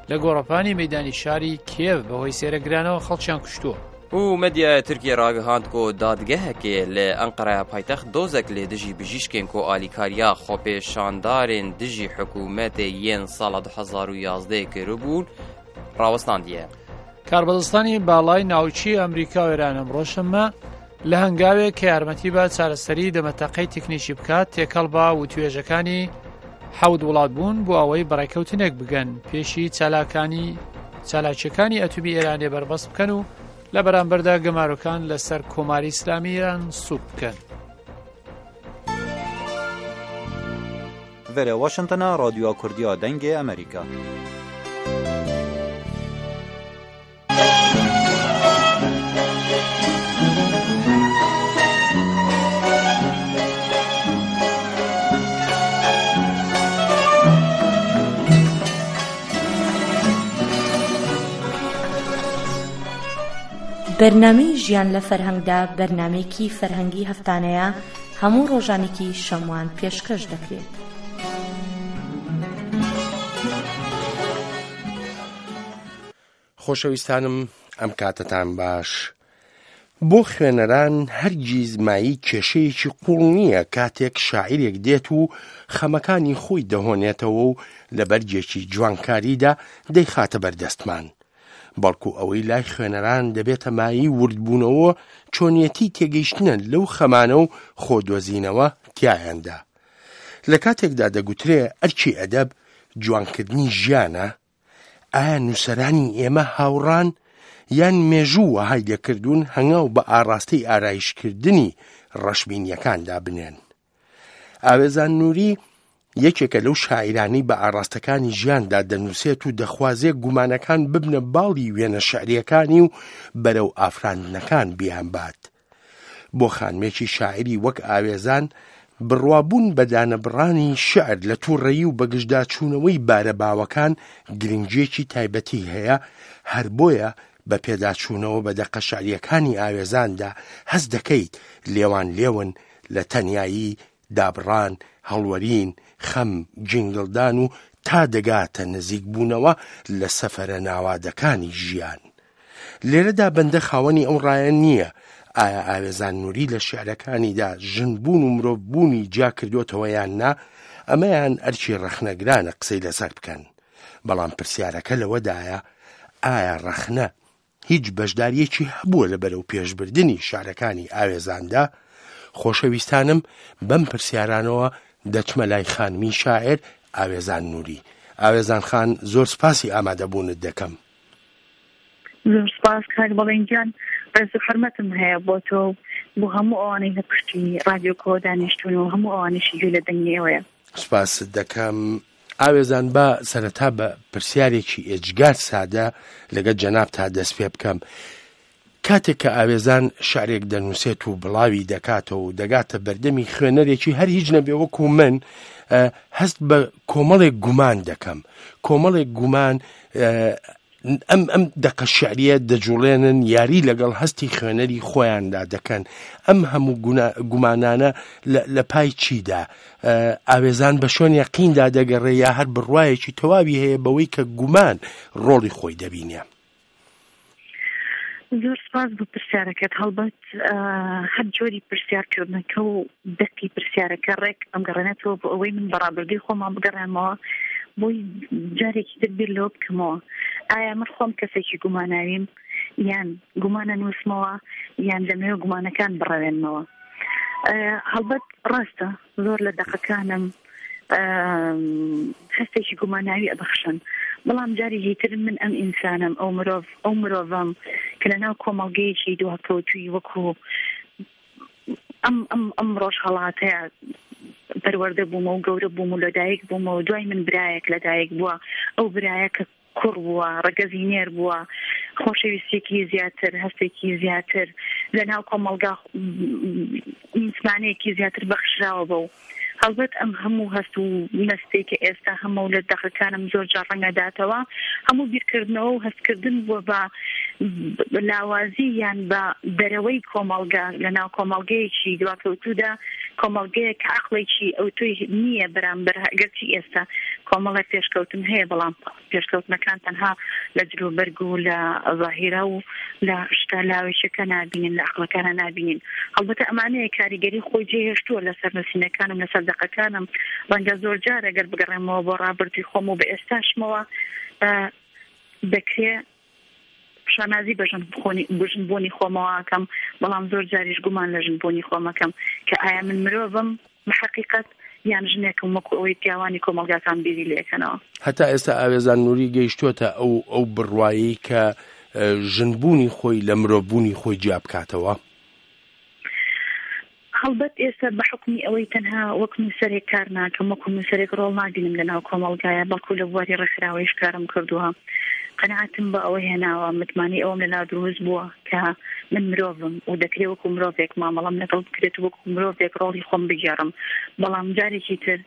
لە گۆڕەپانی مەیدانی شاری کیێڤ بەهۆی سێرەگرانەوە خەڵکیان کوشتووە. û medyaya Tirkiyê ragihand ku dadgehekê li Enqeraya paytext dozek li dijî bijîşkên ku alîkariya xwepêşandarên dijî hikûmetê yên sala du hezar û yazdeh kiribûn, rawestandiye. کاربەدەستانی باڵای ناوچی ئەمریکا و ئێران ئەمڕۆ شەممە لە هەنگاوێک کە یارمەتی بە چارەسەری دەمەتەقەی تەکنیکی بکات، تێکەڵ بە وتوێژەکانی حەوت وڵات بوون بۆ ئەوەی بەڕێکەوتنێک بگەن پێشی چالاکانی، چالاکیەکانی ئەتومی ئێرانێ بەربەست بکەن و لە بەرامبەردا گەمارۆکان لەسەر کۆماری ئیسلامی ئێران سوک بکەن. Vere Washingtona Radyoya Kurdiya Dengê Amerîka. بەرنامەی ژیان لە فەرهەنگدا، بەرنامەیەکی فەرهەنگی هەفتانەیە، هەموو ڕۆژانێکی شەموان پێشکەش دەکرێت. خۆشەویستانم، ئەم کاتەتان باش. بۆ خوێنەران هەرگیز مایی کێشەیەکی قوڵ نییە کاتێک شاعیرێک دێت و خەمەکانی خۆی دەهۆنێتەوە و لە بەرگێکی جوانکاریدا دەیخاتە بەردەستمان. بەڵکو ئەوەی لای خوێنەران دەبێتە مایی وردبوونەوە، چۆنیەتی تێگەیشتنە لەو خەمانە و خۆدۆزینەوە تیایاندا. لە کاتێکدا دەگوترێ ئەرکی ئەدەب جوانکردنی ژیانە، ئایا نووسەرانی ئێمە هاوڕان، یان مێژوو وەهای لێکردوون هەنگاو بە ئاراستەی ئارایشکردنی ڕەشبینیەکاندا بنێن؟ ئاوێزان نووری یەکێکە لەو شاعیرانەی بە ئاراستەکانی ژیاندا دەنووسێت و دەخوازێ گومانەکان ببنە باڵی وێنە شعریەکانی و بەرەو ئافراندنەکان بیانبات. بۆ خانمێکی شاعیری وەک ئاوێزان، بڕوابوون بە دانەبڕانی شعر لە تووڕەیی و بەگژداچوونەوەی بارە باوەکان گرنگیەکی تایبەتی هەیە، هەر بۆیە بە پێداچوونەوە بە دەقە شعریەکانی ئاوێزاندا هەست دەکەیت لێوان لێون لە تەنیایی، دابڕان، هەڵوەرین، خەم، جینگڵدان و تا دەگاتە نزیکبوونەوە لە سەفەرە ناوادەکانی ژیان. لێرەدا بەندە خاوەنی ئەو ڕایە نییە، ئایا ئاوێزان نووری لە شعرەکانیدا ژنبوون و مرۆڤبوونی جیا کردوتەوە یان نا؟ ئەمەیان ئەرکی ڕەخنەگرانە قسەی لەسەر بکەن. بەڵام پرسیارەکە لەوەدایە، ئایا ڕەخنە هیچ بەشداریەکی هەبووە لە بەرەو پێشبردنی شارەکانی ئاوێزاندا؟ خۆشەویستانم، بەم پرسیارانەوە دەچمە لای خانمی شاعر ئاوێزان نووری. ئاوێزان خان، زۆر سپاسی ئامادەبوونت دەکەم. زۆر سپاس کاک بەڵێن گیان، ڕێز و حرمەتم هەیە بۆ تۆ، بۆ هەموو ئەوانەی لە پشتی ڕادیۆ کۆ دانیشتون و هەموو ئەوانەشی گوێ لە دەنگی ئێوەیە. سپاست دەکەم. ئاوێزان، با سەرەتا بە پرسیارێکی ئێجگار سادە لەگەڵ جەنابتا دەست پێ بکەم. کاتێک کە ئاوێزان شعرێک دەنووسێت و بڵاوی دەکاتەوە و دەگاتە بەردەمی خوێنەرێکی هەر هیچ نەبێ وەکو من، ئە، هەست بە کۆمەڵێک گومان دەکەم. کۆمەڵێک گومان، ئە، ئەم، ئەم دەقە شعریە دەجوڵێنن، یاری لەگەڵ هەستی خوێنەری خۆیاندا دەکەن. ئەم هەموو گونا-، گومانانە لە، لە پای چیدا؟ ئە، ئاوێزان بە شوێن یەقیندا دەگەڕێ یا هەر بڕوایەکی تەواوی هەیە بەوەی کە گومان ڕۆڵی خۆی دەبینێ؟ زۆر سپاس بۆ پرسیارەکەت. هەڵبەت، ئە، هەر جۆری پرسیارکردنەکە و دەقی پرسیارەکە ڕێک ئەم گەڕێنێتەوە بۆ ئەوەی من بەڕابردووی خۆمان بگەڕێمەوە، بۆی جارێکی تر بیر لەوە بکەمەوە. ئایا من خۆم کەسێکی گوماناویم، یان گومانە نووسمەوە، یان لەمێ گومانەکان بڕەوێنمەوە؟ ئە، هەڵبەت ڕاستە، زۆر لە دەقەکانم، ئەم، هەستێکی گوماناوی ئەبەخشن. بەڵام جارێکی تر من ئەم ئینسانم، ئەو مرۆڤ، ئەو مرۆڤەم کە لە ناو کۆمەڵگەیەکی دواکەوتووی وەکو ئەم، ئەم، ئەم ڕۆژهەڵاتەیە پەروەردە بوومە و گەورە بووم و لەدایک بوومە و دوای من برایەک لەدایک بووە. ئەو برایە کە کوڕ بووە، ڕەگەزی نێر بووە، خۆشەویستێکی زیاتر، هەستێکی زیاتر لە ناو کۆمەڵگا، متمانەیەکی زیاتر بەخشراوە بەو. هەڵبەت ئەم هەموو هەست و مەستەی کە ئێستا هەمە و لە دەقەکانم زۆر جار ڕەنگە داتەوە، هەموو بیرکردنەوە و هەستکردن بووە بە لاوازی یان بە دەرەوەی کۆمەڵگە، لە ناو کۆمەڵگەیەکی دواکەوتوودا، کۆمەڵگەیەک عەقڵێکی ئەوتۆی نییە بەرامبەر، گەرچی ئێستا کۆمەڵێک پێشکەوتن هەیە، بەڵام پێشکەوتنەکان تەنها لە جلوبەرگ و لە ظاهیرە و لە شتە لاوێشەکە نابینین، لە عەقڵەکانە نابینین. هەڵبەتە ئەمانەیە کاریگەری خۆی جێهێشتووە لەسەر نووسینەکانم، لەسەر دەقەکانم. ڕەنگە زۆر جار ئەگەر بگەڕێمەوە بۆ ڕابردووی خۆم و بە ئێستاشمەوە، ئە، دەکرێ شانازی بە ژن بخۆنی-، بە ژن بوونی خۆمەوە ئەکەم، بەڵام زۆر جاریش گومان لە ژن بوونی خۆم ئەکەم کە ئایا من مرۆڤم بە حەقیقەت، یان ژنێکم وەکو ئەوەی پیاوانی کۆمەڵگاکان بیری لێکەنەوە. هەتا ئێستا ئاوێزان نووری گەیشتووەتە ئەو، ئەو بڕوایی کە، ئە، ژنبوونی خۆی لە مرۆڤبوونی خۆی جیا بکاتەوە؟ هەڵبەت ئێستا بە حکومی ئەوەی تەنها وەک نووسەرێک کار ناکەم، وەکو نووسەرێک ڕۆڵ ناگرم لە ناو کۆمەڵگایە، بەڵکو لە بواری ڕێکخراوەیش کارم کردووە. قەناعەتم بە ئەوە هێناوە، متمانەی ئەوم لە ناو دروست بووە کە من مرۆڤم و دەکرێت وەکو مرۆڤێک مامەڵەم لەگەڵ بکرێت و وەکو مرۆڤێک ڕۆڵی خۆم بگێڕم. بەڵام جارێکی تر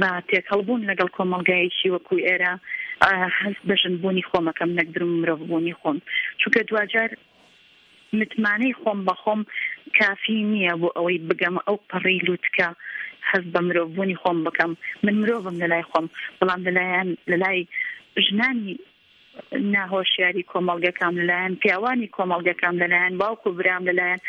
بە تێکەڵبوون لەگەڵ کۆمەڵگایەکی وەکو ئێرە، ئا، هەست بە ژنبوونی خۆمەکەم نەک درم مرۆڤبوونی خۆم. چونکە دواجار متمانەی خۆم بە خۆم کافی نییە بۆ ئەوەی بگەم ئەو پەڕی لووتکە هەست بە مرۆڤبوونی خۆم بکەم. من مرۆڤم لە لای خۆم، بەڵام لەلایەن، لە لای ژنانی ناهۆشیاری کۆمەڵگەکەم، لەلایەن پیاوانی کۆمەڵگەکەم، لەلایەن باوک و برام، لەلایەن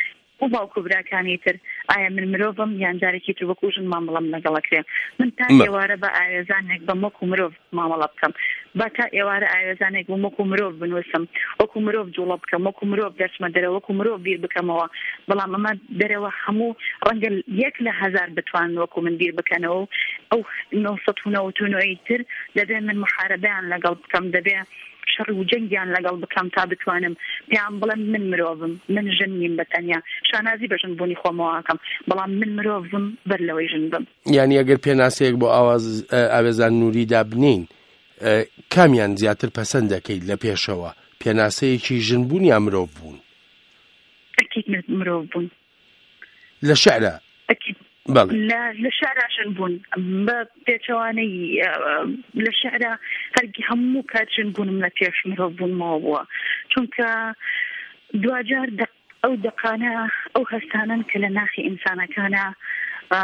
و باوک و براکانی تر، ئایا من مرۆڤم یان جارێکی تر وەکو ژن مامەڵەم لەگەڵەکرێ؟ من تا مە- ئێوارە بە ئاوێزانێک بەم وەکو مرۆڤ مامەڵە بکەم، با تا ئێوارە ئاوێزانێک بم وەکو مرۆڤ بنووسم، وەکو مرۆڤ جوڵە بکەم، وەکو مرۆڤ دەرچمە دەرەوە، وەکو مرۆڤ بیر بکەمەوە. بەڵام ئەمە دەرەوە هەموو ڕەنگە یەک لە هەزار بتوان وەکو من بیر بکەنەوە و ئەو نۆ سەد و نەوەد و نۆی تر دەبێ من محاربەیان لەگەڵ بکەم، دەبێ شەڕ و جەنگیان لەگەڵ بکەم تا بتوانم پێیان بڵێم من مرۆڤم، من ژن نیم بە تەنیا. شانازی بە ژن بوونی خۆمەوە ئەکەم، بەڵام من مرۆڤم بەر لەوەی ژن بم. یعنی ئەگەر پێناسەیەک بۆ ئاواز، ئە، ئاوێزان نووری دابنین، ئە، کامیان زیاتر پەسەند دەکەیت لە پێشەوە؟ پێناسەیەکی ژن بوون یا مرۆڤ بوون؟ ئەکید مرۆڤ بوون. لە شعرە؟ ئەکید. بەڵێ. لە، لە شعرا ژن بوون. بە پێچەوانەی، ئە، لە شعرا هەرگی هەموو کات ژن بوونم لە پێش مرۆڤ بوونمەوە بووە. چونکە دواجار دەق-، ئەو دەقانە، ئەو هەستانن کە لە ناخی ئینسانەکانە، ئە،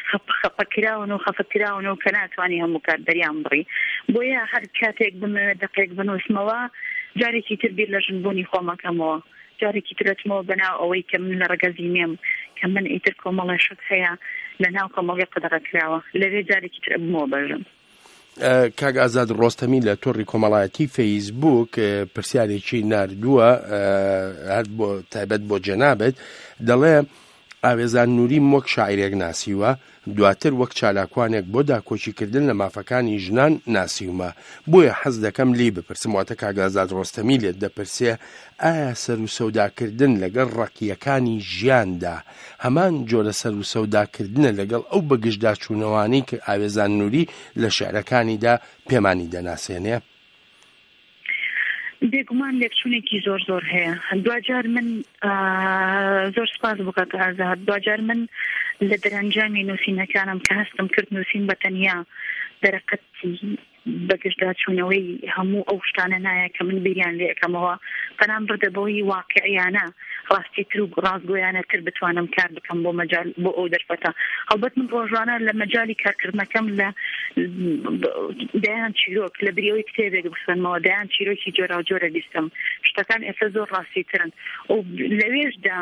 خەپ-، خەپەکراون و خەفەتکراون و کە ناتوانانی هەموو کات دەریان بڕی. بۆیە هەر کاتێک بمەوێت دەقێک بنووسمەوە، جارێکی تر بیر لە ژن بوونی خۆمەکەمەوە. جارێکی ترەتمەوە بەناو ئەوەی کە من لە ڕگەزی نێم، کە من ئیتر کۆمەڵە شت هەیە لە ناو کۆمەڵگە قەدەغە کراوە، لەوێ جارێکی تر ئەبمەوە بەژن. ئە، کاک ئازاد ڕۆستەمی لە تۆڕی کۆمەڵایەتی فەیسبووک، ئە، پرسیارێکی ناردووە، ئە، هەر بۆ تایبەت بۆ جەنابەت، دەڵێ، ئاوێزان نووری وەک شاعیرێک ناسیوە، دواتر وەک چالاکوانێک بۆ داکۆکیکردن لە مافەکانی ژنان ناسیومە. بۆیە حەز دەکەم لێی بپرسم، واتە کاک ئازاد ڕۆستەمی لێت دەپرسێ، ئایا سەر و سەوداکردن لەگەڵ ڕەقیەکانی ژیاندا هەمان جۆرە سەر و سەوداکردنە لەگەڵ ئەو بەگژداچوونەوانەی کە ئاوێزان نووری لە شعرەکانیدا پێمانی دەناسێنێ؟ بێگومان لێکچوونێکی زۆر زۆر هەیە. دواجار من، ئا، زۆر سپاس بۆ کاک ئازاد. دواجار من لە دەرەنجامی نووسینەکانم کە هەستم کرد نووسین بە تەنیا دەرەقەتی بەگژداچوونەوەی هەموو ئەو شتانە نایە کە من بیریان لێ ئەکەمەوە، بەڵام بردە بەوەی واقعیانە ڕاستیتر و ڕاستگۆیانەتر بتوانم کار بکەم بۆ مەجال، بۆ ئەو دەرفەتە. هەڵبەت من ڕۆژانە لە مەجای کارکردنەکەم لە دەیان چیرۆک، لە بریەوەی کتێبێک بخوێنمەوە، دەیان چیرۆکی جۆراوجۆرە بیستم. شتەکان ئێستا زۆر ڕاستیترن و لەوێشدا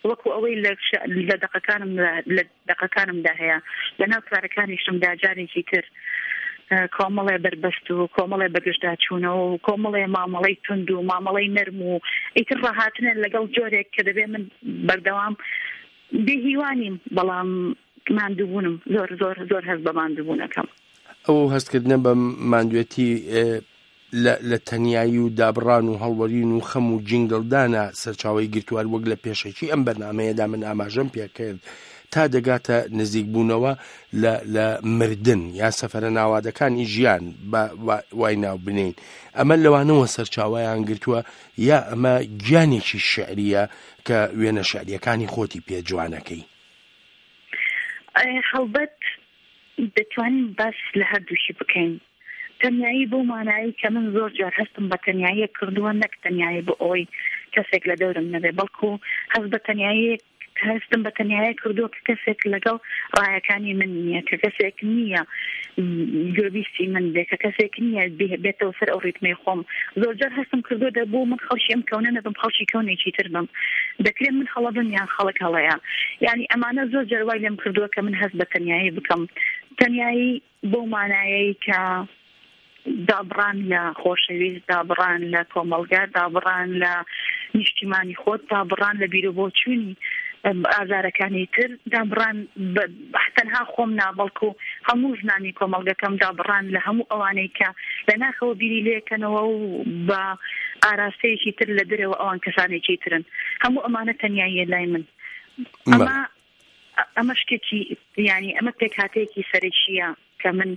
وەکو ئەوەی لە ش-، لە دەقەکانم، لە دەقەکانمدا هەیە، لە ناو کارەکانیشمدا جارێکی تر، ئە، کۆمەڵێ بەربەست و کۆمەڵێ بەگژداچوونەوە و کۆمەڵێ مامەڵەی تونند و مامەڵەی نەرم و ئیتر ڕاهاتنە لەگەڵ جۆرێک کە دەبێ من بەردەوام بێهیوانیم، بەڵام ماندووبوونم، زۆر، زۆر، زۆر هەست بە ماندووبوونەکەم. ئەو هەستکردنە بە ماندوێتی، ئێ، لە، لە تەنیایی و دابڕان و هەڵوەرین و خەم و جینگڵدانە سەرچاوەی گرتووە، وەک لە پێشەکی ئەم بەرنامەیەدا من ئاماژەم پێکرد، تا دەگاتە نزیکبوونەوە لە، لە مردن یا سەفەرە ناوادەکانی ژیان، بە وا-، وای ناو بنین. ئەمە لەوانەوە سەرچاوەیان گرتووە، یا ئەمە گیانێکی شعریە کە وێنە شعریەکانی خۆتی پێ جوانەکەی؟ ئەی، هەڵبەت دەتوانین باس لە هەردووشی بکەین. تەنیایی بۆ مانایی کە من زۆر جار هەستم بە تەنیایی کردووە، نەک تەنیایی بۆ ئەوەی کەسێک لە دەورم نەبێ، بەڵکو هەست بە تەنیایی، هەستم بە تەنیایی کردووە کە کەسێک لەگەڵ ڕایەکانی من نییە، کە کەسێک نییە گوێبیستی من بێ، کە کەسێک نییە بێ-، بێتەوە سەر ئەو ڕیتمەی خۆم. زۆر جار هەستم کردووە دەبوو من خەڵکی ئەم کەونە نەبم، خەڵکی کەونێکی تر بم. دەکرێت من هەڵە بم یان خەڵک هەڵەیە. یعنی ئەمانە زۆر جار وای لێم کردووە کە من هەست بە تەنیایی بکەم. تەنیایی بەو مانایەی کە دابڕان لە خۆشەویست، دابڕان لە کۆمەڵگا، دابڕان لە نیشتیمانی خۆت، دابڕان لە بیرۆبۆچوونی، ئەم، ئازارەکانی تر، دابڕان بە، تەنها خۆم نا، بەڵکو هەموو ژنانی کۆمەڵگەکەم، دابڕان لە هەموو ئەوانەی کە لە ناخەوە بیری لێکەنەوە و بە ئاراستەیەکی تر لە دەرەوە ئەوان کەسانێکی ترن. هەموو ئەمانە تەنیاییە لای من. بەڵێ. ئەمە، ئەمە شتێکی، یعنی، ئەمە پێکهاتەیەکی سەرەکیە کە من،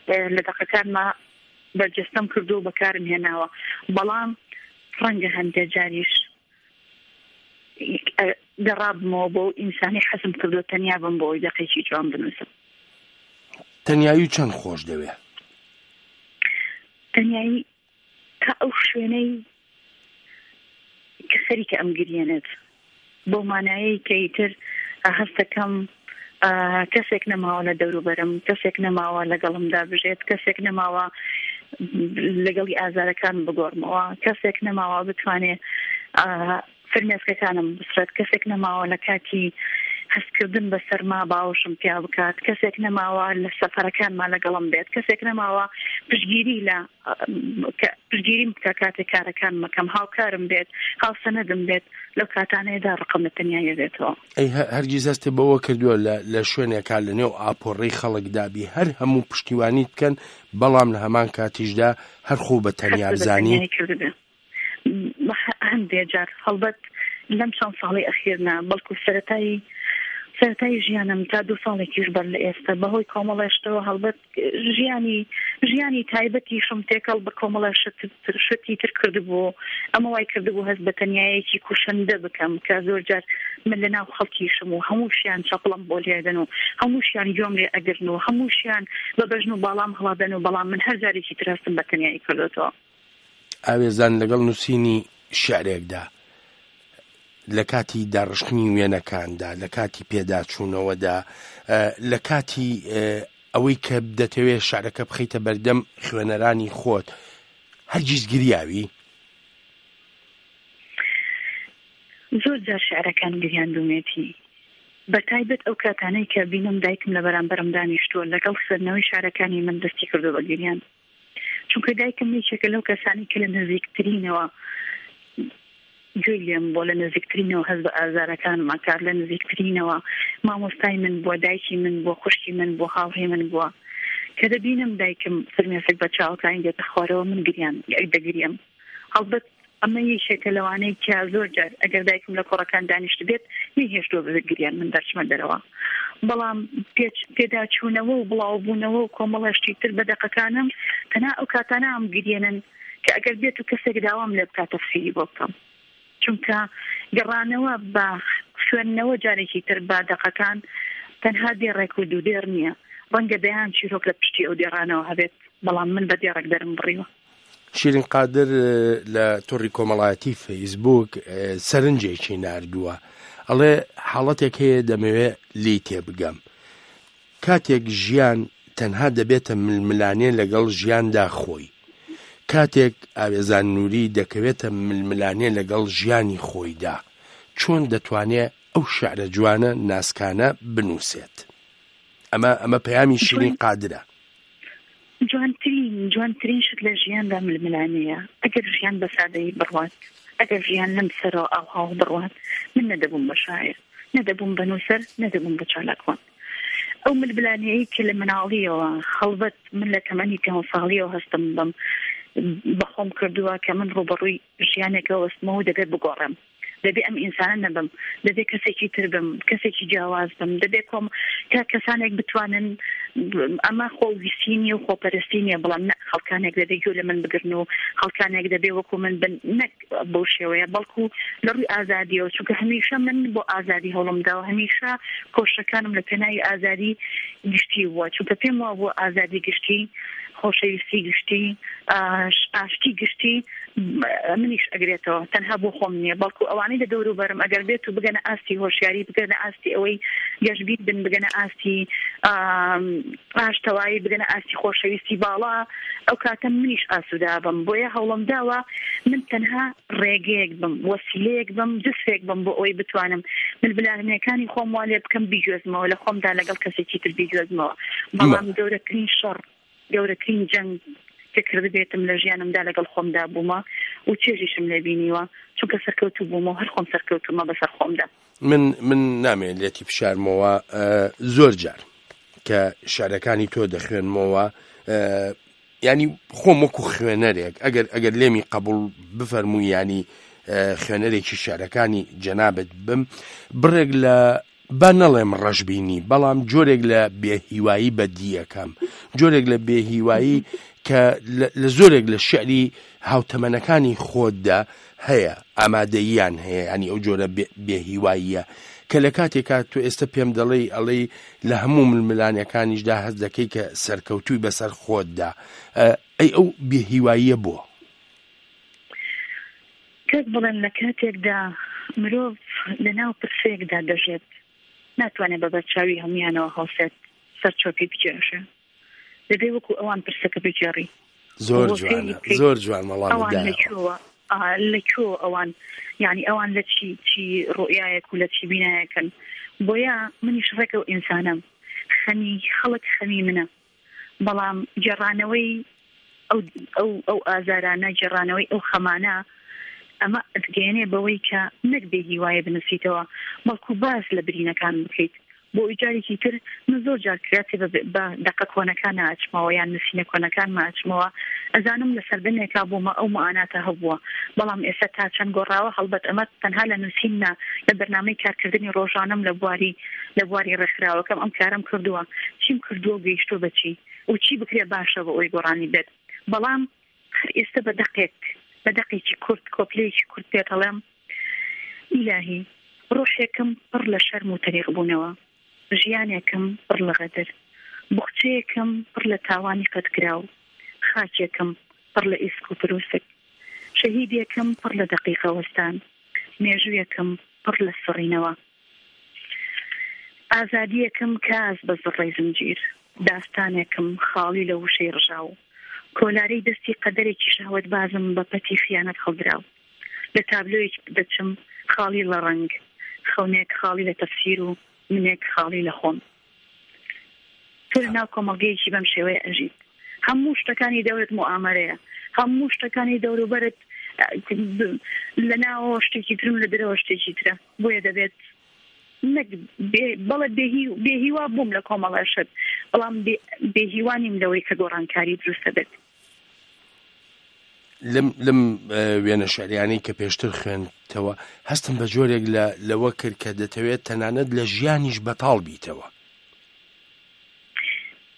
ئێ، لە دەقەکانما بەرجەستەم کردو و بەکارم هێناوە. بەڵام ڕەنگە هەندێک جاریش، ئێ، گەڕابمەوە بۆ ئینسانی حەزم کردو تەنیا بم بۆ ئەوەی دەقێکی جوان بنووسم. تەنیایی چەند خۆش دەوێ؟ تەنیایی تا ئەو شوێنەی کە خەریکە ئەم گریێنێت، بەو مانایەی کە ئیتر هەستەکەم، ئا، کەسێک نەماوە لە دەوروبەرم، کەسێک نەماوە لەگەڵمدا بژێت، کەسێک نەماوە لەگەڵی ئازارەکان بگۆڕمەوە، کەسێک نەماوە بتوانێت، ئا، فرمێسکەکانم بسڕێت، کەسێک نەماوە لە کاتی هەستکردن بە سەرما باوەشم پیا بکات، کەسێک نەماوە لە سەفەرەکانما لەگەڵم بێت، کەسێک نەماوە پشتگیری لە، ئا، کە پشتگیریم بکە کاتێک کارەکان مەکەم، هاوکارم بێت، هاوسەنەدم بێت، لەو کاتانەیەدا ڕقم لە تەنیایی بێتەوە. ئەی هە-، هەرگیز هەستێ بەوە کردووە لە، لە شوێنێکا لە نێو ئاپۆڕی خەڵکدابی هەر هەموو پشتیوانیت بکەن، بەڵام لە هەمان کاتیشدا هەر خۆ بە تەنیا هەست بە بزانی؟ تەنیایی کردبێ. هە-، هەندێک جار، هەڵبەت لەم چەند ساڵی ئەخیرنا، بەڵکو سەرەتایی، سەرەتایی ژیانم تا دوو ساڵێکیش بەر لە ئێستا، بەهۆی کۆمەڵێ شتەوە، هەڵبەت ژیانی، ژیانی تایبەتیشم تێکەڵ بە کۆمەڵە شت-، شتی تر کردبوو. ئەمە وای کردبوو هەست بە تەنیایەکی کوشندە بکەم کە زۆر جار من لە ناو خەڵکیشم و هەمووشیان چەپڵم بۆ لێدەن و هەمووشیان گوێم لێ ئەگرن و هەمووشیان بە بەژن و باڵام هەڵادەن و بەڵام من هەر جارێکی تر هەستم بە تەنیایی کردوتەوە. ئاوێزان لەگەڵ نووسینی شعرێکدا، لە کاتی داڕشتنی وێنەکاندا، لە کاتی پێداچوونەوەدا، ئە، لە کاتی، ئە، ئەوەی کە دەتەوێ شعرەکە بخەیتە بەردەم خوێنەرانی خۆت، هەرگیز گریاوی؟ زۆر جار شعرەکان گریاندومێتی، بە تایبەت ئەو کاتانەی کە بینم دایکم لە بەرامبەرم دانیشتووە، لەگەڵ خوێندنەوەی شعرەکانی من دەستی کردو بە گریان. چونکە دایکم یەکێکە لەو کەسانی کە لە نزیکترینەوە گوێی لێم بۆ، لە نزیکترینەوە هەست بە ئازارەکانم ئەکات، لە نزیکترینەوە مامۆستای من بووە، دایکی من بووە، خوشکی من بووە، هاوڕێ من بووە. کە دەبینم دایکم فرمێسک بە چاوەکانی دێتە خوارەوە، من گریان، دەگریم. هەڵبەت ئەمە یەکێکە لەوانەی کە زۆر جار ئەگەر دایکم لە کۆڕەکان دانیشت بێت، نەیهێشتووە بگریان من دەرچمە دەرەوە. بەڵام پێچ-، پێداچوونەوە و بڵاوبوونەوە و کۆمەڵە شتی تر بە دەقەکانم، تەنها ئەو کاتانە ئەم گریێنن کە ئەگەر بێت و کەسێک داوام لێ بکات تەفسیری بۆ بکەم. چونکە گەڕانەوە بە خوێندنەوە جارێکی تر بە دەقەکان تەنها دێڕێک و دوو دێڕ نییە. ڕەنگە دەیان چیرۆک لە پشتی ئەو دێڕانەوە هەبێت، بەڵام من بە دێڕێک دەرم بڕیوە. شیرین قادر، ئە، لە تۆڕی کۆمەڵایەتی فەیسبووک، ئە، سەرنجێکی ناردووە. ئەڵێ، حاڵەتێک هەیە دەمەوێ لێی تێبگەم. کاتێک ژیان تەنها دەبێتە ململانێ لەگەڵ ژیاندا خۆی، کاتێک ئاوێزان نووری دەکەوێتە ململانێ لەگەڵ ژیانی خۆیدا، چۆن دەتوانێ ئەو شعرە جوانە ناسکانە بنووسێت؟ ئەمە، ئەمە پەیامی شیرین جوان قادرە. جوانترین، جوانترین شت لە ژیاندا ململانەیە. ئەگەر ژیان بە سادەیی بڕوات، ئەگەر ژیان لەم سەرەوە ئاوهاو بڕوات، من نەدەبووم بە شاعر، نەدەبووم بە نووسەر، نەدەبووم بە چالاکوان. ئەو ململانەیەی کە لە مناڵیەوە، هەڵبەت من لە تەمەنی پێنج ساڵیەوە هەستم بم، بەخۆم کردووە کە من ڕوبەڕووی ژیانێکەوە وەستمەوە و دەبێت بگۆڕێم. دەبێ ئەم ئینسانە نەبم، دەبێ کەسێکی تر بم، کەسێکی جیاواز بم، دەبێ کۆم-، کە کەسانێک بتوانن، ئەمە خۆ ویستی نیە و خۆپەرستی نیە، بەڵام نە، خەڵکانێک دەبێ گوێ لە من بگرن و خەڵکانێک دەبێ وەکو من بن، نەک بەو شێوەیە، بەڵکو لە ڕووی ئازادیەوە، چونکە هەمیشە من بۆ ئازادی هەوڵم داوە، هەمیشە کۆشەکانم لە پێناوی ئازادی گشتی بووە، چونکە پێم وابووە ئازادی گشتی، خۆشەویستی گشتی، ئاش-، ئاشتی گشتی، م-، منیش ئەگرێتەوە، تەنها بۆ خۆم نییە، بەڵکو ئەوانەی لە دەوروبەرم ئەگەر بێت و بگەنە ئاستی هۆشیاری، بگەنە ئاستی ئەوەی گەشبین بن، بگەنە ئاستی، ئام، ئاشتەوایی، بگەنە ئاستی خۆشەویستی باڵا، ئەو کاتە منیش ئاسوودا بم. بۆیە هەوڵم داوە من تەنها ڕێگەیەک بم، وەسیلەیەک بم، جسرێک بم بۆ ئەوەی بتوانم ململانێکانی خۆم وا لێ بکەم، بیگوێزمەوە، لە خۆمدا لەگەڵ کەسێکی تر بیگوێزمەوە. بەڵام گەورەترین شەڕ، گەورەترین جەنگ کە کردبێتم لە ژیانمدا لەگەڵ خۆمدا بوومە و چێژیشم لێ بینیوە، چونکە سەرکەوتوو بوومە و هەر خۆم سەرکەوتوومە بەسەر خۆمدا. من، من نامەوێت لێتی بشارمەوە، ئە، زۆر جار کە شعرەکانی تۆ دەخوێنمەوە، ئە، ینی خۆم وەکو خوێنەرێک، ئەگەر، ئەگەر لێمی قبول بفەرمووی، ینی، ئە، خوێنەرێکی شعرەکانی جەنابت بم، بڕێک لە، با نەڵێم ڕەشبینی، بەڵام جۆرێک لە بێهیوایی بەدیەکەم، جۆرێک لە بێهیوایی کە لە، لە زۆرێک لە شعری هاوتەمەنەکانی خۆتدا هەیە، ئامادەییان هەیە، ینی ئەو جۆرە بێ-، بێهیواییە کە لە کاتێکا تۆ ئێستا پێم دەڵێی، ئەڵێی لە هەموو ململانەکانیشدا هەست دەکەی کە سەرکەوتووی بەسەر خۆتدا. ئە، ئەی ئەو بێهیواییە بۆ؟ کاک بڵێن، لە کاتێکدا مرۆڤ لە ناو پرسێکدا دەژێت، ناتوانێت بە بەرچاوی هەمویانەوە هەڵسێت، سەر چۆپی بکێشێ. دەبێ وەکو ئەوان پرسەکە بگێڕی. زۆر بۆ جوانە، فێری بکەیت. زۆر جوان وەڵامی ئەوان لە دایەوە. کوێوە؟ ئا، لە کوێوە ئەوان؟ یعنی ئەوان لە چی، چی ڕوئیایەک و لە چی بینایەکن؟ بۆیە منیش ڕێک ئەو ئینسانم. خەمی خەڵک خەمی منە. بەڵام گێڕانەوەی ئەو، ئەو، ئەو ئازارانە، گێڕانەوەی ئەو خەمانە، ئەمە ئەتگەیەنێ بەوەی کە نەک بێ هیوایە بنووسیتەوە، بەڵکو باز لە برینەکان بکەیت. بۆ ئەوی جارێکی تر من زۆر جار کراتێ بە، بە دەقە کۆنەکان ئەچمەوە یان نووسینە کۆنەکانمە ئەچمەوە. ئەزانم لە سەردەمێکا بوومە ئەو مەعاناتە هەبووە، بەڵام ئێستا تا چەند گۆڕاوە؟ هەڵبەت ئەمە تەنها لە نووسین نا، لە بەرنامەی کارکردنی ڕۆژانەم لە بواری، لە بواری ڕێکخراوەکەم ئەم کارەم کردووە. چیم کردووە و گەیشتووە بە چی؟ و چی بکرێ باشە بۆ ئەوی گۆڕانی بێت؟ بەڵام هەر ئێستا بە دەقێک، بە دەقێکی کورت، کۆپلەیەکی کورت پێت هەڵێم. ئیلاهی، ڕۆحێکم پڕ لە شەرم و تەریق بوونەوە، ژیانێکم پڕ لە غەدر، بوخچەیەکم پڕ لە تاوانی قەتکراو، خاکێکم پڕ لە ئیسک و پرووسک، شەهیدێکم پڕ لە دەقیقە وەستان، مێژوویەکم پڕ لە سڕینەوە. ئازادیەکم کاس بە زڕەی زنجیر، داستانێکم خاڵی لە وشەی ڕژاو، کۆلارەی دەستی قەدەرێکی شەهوەت بازم بە پەتی خیانەت هەڵدراو. لە تابلۆیەک دەچم خاڵی لە ڕەنگ، خەونێک خاڵی لە تەفسیر و منێک خاڵی لە خۆم. تۆ لە ناو کۆمەڵگەیەکی بەم شێوەیە ئەژیت. هەموو شتەکانی دەورت موئامەرەیە. هەموو شتەکانی دەوروبەرت، ئە، لە ناوەوە شتێکی ترم، لە دەرەوە شتێکی ترە. بۆیە دەبێت نەک بێ-، بەڵێ بێهی-، بێهیوا بووم لە کۆمەڵە شت، بەڵام بێ-، بێهیوا نیم لەوەی کە گۆڕانکاری دروست دەبێت. لەم، لەم، ئە، وێنە شعریانەی کە پێشتر خوێندتەوە، هەستم بە جۆرێک لە، لەوە کرد کە دەتەوێت تەنانەت لە ژیانیش بەتاڵ بیتەوە.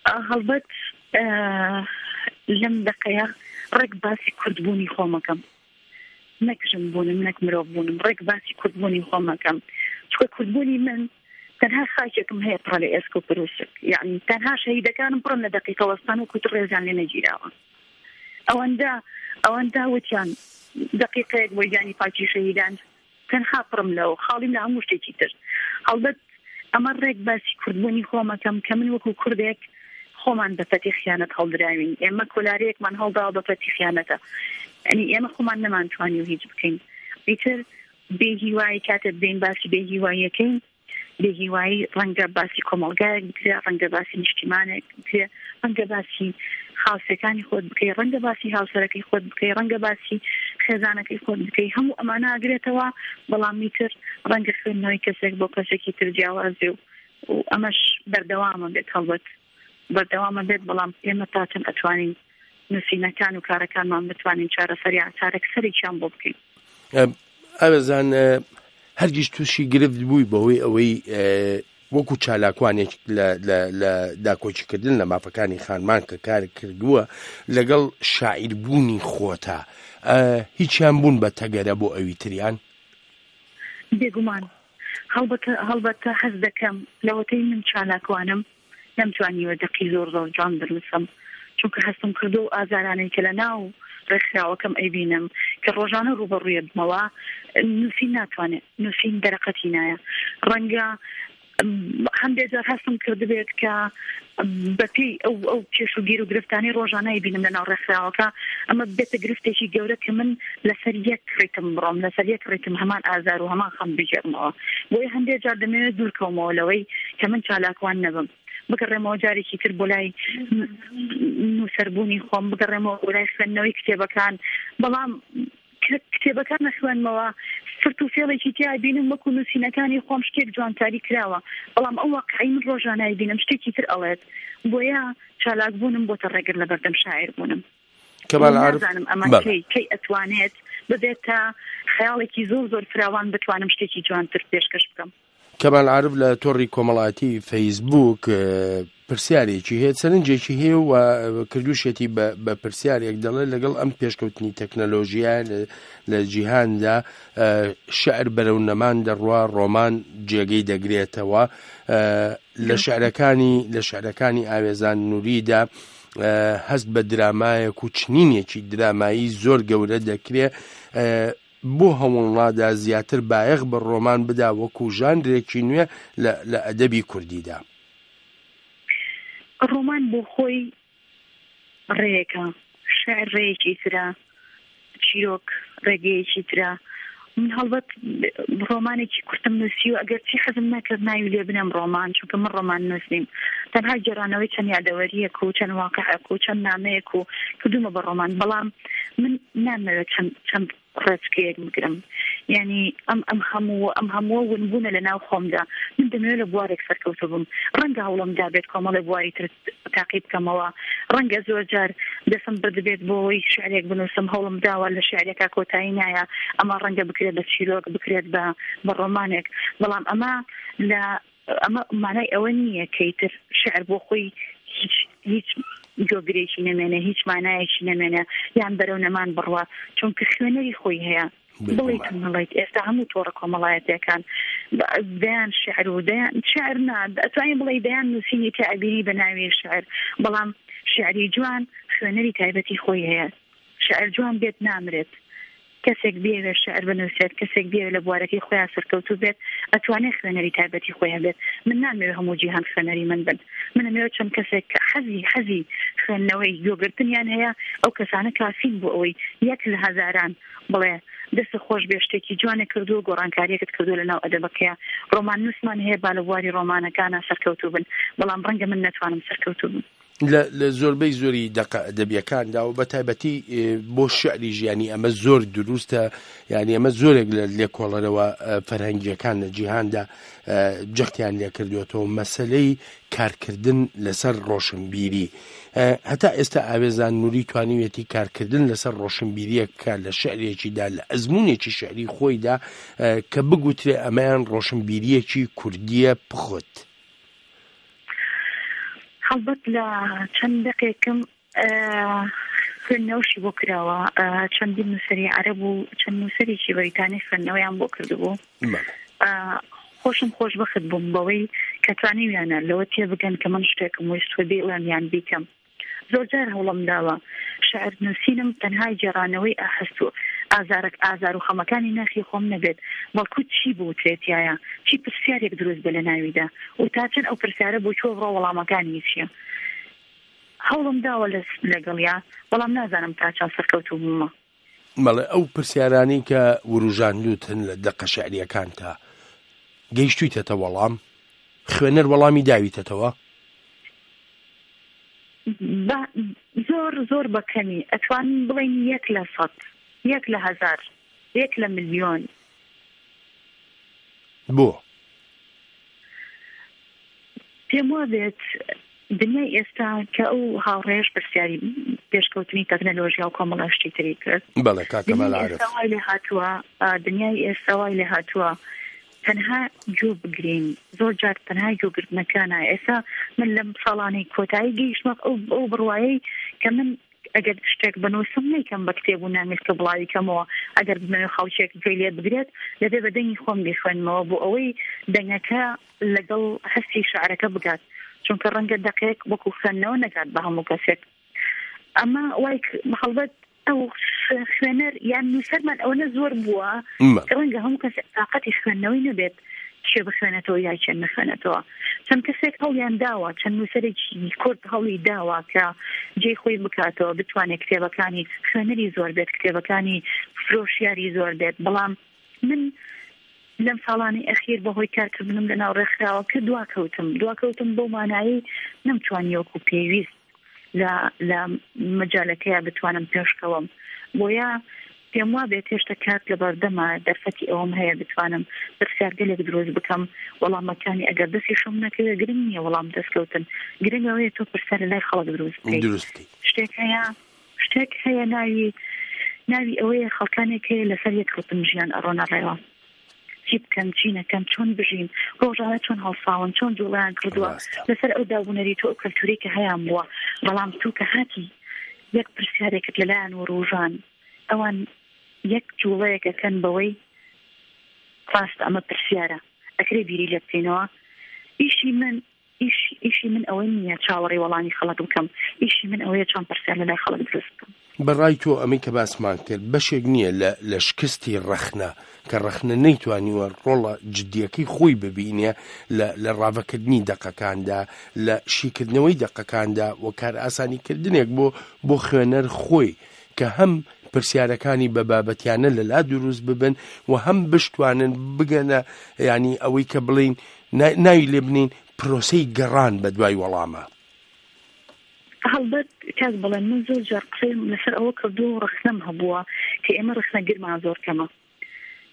ئا، هەڵبەت، ئە، لەم دەقەیە ڕێک باسی کوردبوونی خۆمەکەم. نەک ژن بوونم، نەک مرۆڤ بوونم، ڕێک باسی کوردبوونی خۆمەکەم. چونکە کوردبوونی من تەنها خاکێکم هەیە پڕە لە ئێسک و پروسک، یعنی تەنها شەهیدەکانم پڕن لە دەقیقە وەستان و کوت ڕێزیان لێ نەگیراوە. ئەوەندە ئەوەندە وتیان دەقیقەیەک بۆ گیانی پاکی شەهیدان، تەنها پڕم لەوە، خاڵیم لە هەموو شتێکی تر. هەڵبەت ئەمە ڕێک باسی کوردبوونی خۆمەکەم کە من وەکو کوردێک خۆمان بە پەتی خیانەت هەڵدراوین. ئێمە کۆلارەیەکمان هەڵداوە بە پەتی خیانەتە. یعنی ئێمە خۆمان نەمانتوانی و هیچ بکەین. ئیتر بێ هیوایی، کاتێک بین باسی بێ هیواییەکەین، بێ هیوایی ڕەنگە باسی کۆمەڵگایەک بکرێ، ڕەنگە باسی نیشتیمانێک بکرێ، ڕەنگە باسی خاوسەکانی خۆت بکەی، ڕەنگە باسی هاوسەرەکەی خۆت بکەی، ڕەنگە باسی خێزانەکەی خۆت بکەی. هەموو ئەمانە ئەگرێتەوە، بەڵام میتر ڕەنگە خوێندنەوەی کەسێک بۆ کەسێکی تر جیاواز بێ و، و ئەمەش بەردەوامە بێت. هەڵبەت بەردەوامە بێت، بەڵام ئێمە تاچن ئەتوانین نووسینەکان و کارەکانمان بتوانین چارەسەری، چارەکسەرێکیان بۆ بکەین. ئەم، ئاوێزان، ئە، هەرگیز تووشی گرفت بووی بەوەی ئەوەی، ئە، وەکو چالاکوانێک لە، لە، لە داکۆکیکردن لە مافەکانی خانمان کە کار کردووە لەگەڵ شاعیربوونی خۆتا، ئە، هیچیان بوون بە تەگەرە بۆ ئەوی تریان؟ بێگومان. هەڵبەتە، هەڵبەتە حەز دەکەم لەوەتەی من چالاکوانم نەمتوانیوە دەقی زۆر زۆر جوان بنووسم، چونکە هەستم کردو و ئازارانەی کە لە ناو ڕێکخراوەکەم ئەیبینم کە ڕۆژانە ڕوبەڕوویە بمەوە، نووسین ناتوانێت، نووسین دەرەقەتی نایە. ڕەنگە، ئم، هەندێک جار هەستم کردبێت کە، ئم، بەپێی ئەو، ئەو کێش و گیر و گرفتانەی ڕۆژانە ئەیبینم لە ناو ڕێکخراوەکە، ئەمە بێتە گرفتێکی گەورە کە من لەسەر یەک ڕیتم بڕۆم، لەسەر یەک ڕیتم هەمان ئازار و هەمان خەم بگێڕمەوە. بۆیە هەندێک جار دەمەوێت دوور کەومەوە لەوەی کە من چالاکوان نەبم، بگەڕێمەوە جارێکی تر بۆ لای نووسەربوونی خۆم، بگەڕێمەوە بۆ لای خوێندنەوەی کتێبەکان. بەڵام کە کتێبەکان نەخوێنمەوە، فرت و فێڵێکی تیا بینم، وەکو نووسینەکانی خۆم شتێک جوانکاری کراوە، بەڵام ئەو واقعی من ڕۆژانای بینم شتێکی تر ئەڵێت. بۆیە چالاکبوونم بۆتە ڕێگر لە بەردەم شاعیر بوونم. کەمال عارف، نازانم ئەمە بەڵێ. کەی، کەی ئەتوانێت ببێتە خەیاڵێکی زۆر زۆر فراوان، بتوانم شتێکی جوانتر پێشکەش بکەم. کەمال عارف لە تۆڕی کۆمەڵایەتی فەیسبووک، ئە، پرسیارێکی هەیە، سەرنجێکی هەیە و، ئە، کردووشێتی بە، بە پرسیارێک، دەڵێ: لەگەڵ ئەم پێشکەوتنی تەکنەلۆژیایە لە، لە جیهاندا، ئە، شعر بەرەو نەمان دەڕوا، ڕۆمان جێگەی دەگرێتەوە. ئە، لە شعرەکانی، لە شعرەکانی ئاوێزان نووریدا، ئە، هەست بە درامایەک و چنینێکی درامایی زۆر گەورە دەکرێ. ئە، بۆ هەوڵنادا زیاتر بایەخ بە ڕۆمان بدا وەکو ژانرێکی نوێ لە، لە ئەدەبی کوردیدا؟ ڕۆمان بۆ خۆی ڕێیەکە، شعر ڕێیەکی ترە، چیرۆک ڕێگەیەکی ترە. من هەڵبەت ڕۆمانێکی کورتم نووسی و ئەگەرچی حەزم نەکرد ناوی لێ بنێم ڕۆمان، چونکە من ڕۆمان نووس نیم. تەنها گێڕانەوەی چەند یادەوەریەک و چەند واقعەک و چەند نامەیەک و کردومە بە ڕۆمان. بەڵام من نامەوێت چەند، چەند ڕێچکەیەک بگرم. یعنی ئەم، ئەم هەموو، ئەم هەموو ونبوونە لە ناو خۆمدا. من دەمەوێت لە بوارێک سەرکەوتوو بم. ڕەنگە هەوڵم دابێت کۆمەڵێ بواری تر تاقی بکەمەوە. ڕەنگە زۆر جار دەسم بردبێت بۆ ئەوەی شعرێک بنووسم، هەوڵم داوە لە شعرێکا کۆتایی نایە. ئەمە ڕەنگە بکرێت بە چیرۆک، بکرێت بە، بە ڕۆمانێک. بەڵام ئەمە لە، ئەمە مانای ئەوە نییە کە ئیتر شعر بۆ خۆی هیچ، هیچ جۆگرێکی نەمێنێ، هیچ مانایەکی نەمێنێ، یان بەرەو نەمان بڕوا، چونکە خوێنەری خۆی هەیە. بڵیت بێگومان. نڵیت، ئێستا هەموو تۆڕە کۆمەڵایەتیەکان بە-، دەیان شعر و دەیان شعر نا، ئەتوانین بڵێ دەیان نووسینی تێ ئەبینی بە ناوی شعر، بەڵام شعری جوان خوێنەری تایبەتی خۆی هەیە. شعر جوان بێت نامرێت. کەسێک بێوێ شعر بنووسێت، کەسێک بێوێ لە بوارەکەی خۆیان سەرکەوتوو بێت، ئەتوانێت خوێنەری تایبەتی خۆی هەبێت. من نامەوێت هەموو جیهان خوێنەری من بن. من ئەمەوێت چەند کەسێک کە حەزی، حەزی خوێندنەوەی گوێگرتنیان هەیە، ئەو کەسانە کافین بۆ ئەوەی یەک لە هەزاران بڵێ: «دەست خۆش بێ، شتێکی جوانێک کردووە، گۆڕانکاریەکت کردووە لە ناو ئەدەبەکەیە. ڕۆمان نووسمان هەیە، با لە بواری ڕۆمانەکانە سەرکەوتوو بن، بەڵام ڕەنگە من نەتوانم سەرکەوتوو بم.» لە، لە زۆربەی زۆری دەقە ئەدەبیەکاندا و بە تایبەتی، ئێ، بۆ شعری ژیانی ئەمە زۆر دروستە، یعنی ئەمە زۆرێک لە لێکۆڵەرەوە، ئە، فەرهەنگیەکان لە جیهاندا، ئە، جەختیان لێ کردوێتەوە، مەسەلەی کارکردن لەسەر ڕۆشنبیری. ئە، هەتا ئێستا ئاوێزان نووری توانیوێتی کارکردن لەسەر ڕۆشنبیریەک بکات لە شعرێکیدا، لە ئەزموونێکی شعری خۆیدا، ئە، کە بگوترێ ئەمەیان ڕۆشنبیریەکی کوردیە پخت. هەڵبەت لە چەند دەقێکم، ئە، خوێندنەوەشی بۆ کراوە. ئە، چەندین نووسەری عەرەب و چەند نووسەرێکی بەریتانی خوێندنەوەیان بۆ کردبوو. بەڵێ. ئە، خۆشم خۆشبەخت بووم بەوەی کە توانیویانە لەوە تێبگەن کە من شتێکم ویست و بیڵێم یان بیکەم. زۆر جار هەوڵم داوە شعر نووسینم تەنها گێڕانەوەی ئاهەست و ئازارەک، ئازار و خەمەکانی ناخی خۆم نەبێت، بەڵکو چی بوترێتایە، چی پرسیارێک دروست بێ لە ناویدا و تا چەند ئەو پرسیارە بۆ چۆ بڕۆ وەڵامەکانی چییە. هەوڵم داوە لە، لەگەڵیا، بەڵام نازانم تا چەند سەرکەوتوو بوومە. بەڵێ، ئەو پرسیارانەی کە وروژاندووتن لە دەقە شعریەکانتا، گەیشتوویتەتە وەڵام؟ خوێنەر وەڵامی داویتەتەوە؟ بە، زۆر، زۆر بە کەمی. ئەتوانین بڵێن یەک لە سەد، یەک لە هەزار، یەک لە ملیۆن. بۆ؟ پێم وابێت دنیای ئێستا کە ئەو هاوڕێژ پرسیاری پێشکەوتنی تەکنەلۆژیا و کۆمەڵە شتی تری کرد. بەڵێ، کاکە دنیای مەلارف. ئێستا وای لێ هاتووە، ئا، دنیای ئێستا وای لێ هاتووە تەنها گوێ بگرین. زۆر جار تەنها گوێگرتنەکانە. ئێستا من لەم ساڵانەی کۆتایی گەیشتمە ئەو، ئەو بڕوایەی کە من ئەگەر شتێک بنووسم، نەیکەم بە کتێب و نامیلکە بڵاوی کەمەوە. ئەگەر بمەوێ خەڵکێک گوێی لێ بگرێت، دەبێ بە دەنگی خۆم بیخوێنمەوە بۆ ئەوەی دەنگەکە لەگەڵ هەستی شعرەکە بگات، چونکە ڕەنگە دەقێک وەکو خوێندنەوە نەگات بە هەموو کەسێک. ئەمە وای ک-، هەڵبەت ئەو ش-، خوێنەر یان نووسەرمان ئەوەنە زۆر بووە مە. کە ڕەنگە هەموو کەسێک تااقەتی خوێندنەوەی نەبێت، چێ بخوێنێتەوە یا چێ نەخوێنێتەوە. چەند کەسێک هەوڵیان داوە، چەند نووسەرێکی کورد هەوڵی داوە کە جێی خۆی بکاتەوە، بتوانێت کتێبەکانی خوێنەری زۆر بێت، کتێبەکانی فرۆشیاری زۆر بێت، بەڵام من لەم ساڵانی ئەخیر بەهۆی کارکردنم لەناو ڕێکخراوەکە دواکەوتم. دواکەوتم بەو مانایی نەمتوانی وەکو پێویست لە، لە مەجالەکەیە بتوانم پێشکەوەم. بۆیە پێم وا بێت هێشتا کات لە بەردەمە، دەرفەتی ئەوەم هەیە بتوانم پرسیارگەلێک دروست بکەم. وەڵامەکانی ئەگەر دەستی شم نەکەوێت، گرنگ نییە وەڵام دەستکەوتن. گرنگ ئەوەیە تۆ پرسیار لە لای خەڵک دروست بکەیت. دروست بکەیت. شتێک هەیە، شتێک هەیە ناوی، ناوی ئەوەیە خەڵکانێک هەیە لەسەر یەک ڕتم ژیان ئەڕۆنە ڕێوە. چی بکەم، چی نەکەم، چۆن بژین، ڕۆژانە چۆن هەڵساون، چۆن جوڵیان کردووە ڕاستە. لەسەر ئەو دابوونەریت و ئەو کەلتوری کە هەیان بووە. بەڵام تو کە هاتی یەک پرسیارێکت لەلایەن و ڕۆژان، ئەوان یەک جوڵەیەک ئەکەن بەوەی ڕاست ئەمە پرسیارە، ئەکرێ بیری لێ بکەینەوە. ئیشی من، ئیش، ئیشی من ئەوە نییە چاوەڕێ وەڵامی خەڵک بکەم. ئیشی من ئەوەیە چۆن پرسیار لەلای خەڵک دروست بکەم. بەڕای تۆ ئەمەی کە باسمان کرد بەشێک نییە لە، لە شکستی ڕەخنە، کە ڕەخنە نەیتوانیوە ڕۆڵە جدیەکەی خۆی ببینێ لە، لە ڕاڤەکردنی دەقەکاندا، لە شیکردنەوەی دەقەکاندا و کار ئاسانیکردنێک بۆ، بۆ خوێنەر خۆی کە هەم پرسیارەکانی بە بابەتیانە لە لا دروست ببن و هەم بشتوانن بگەنە، یعنی ئەوەی کە بڵین نا-، ناوی لێ بنین پرۆسەی گەڕان بە دوای وەڵامە. هەڵبەت کاک بەڵێن، من زۆر جار قسەیم لەسەر ئەوە کردووە و ڕەخنەم هەبووە کە ئێمە ڕەخنەگرمان زۆر کەمە.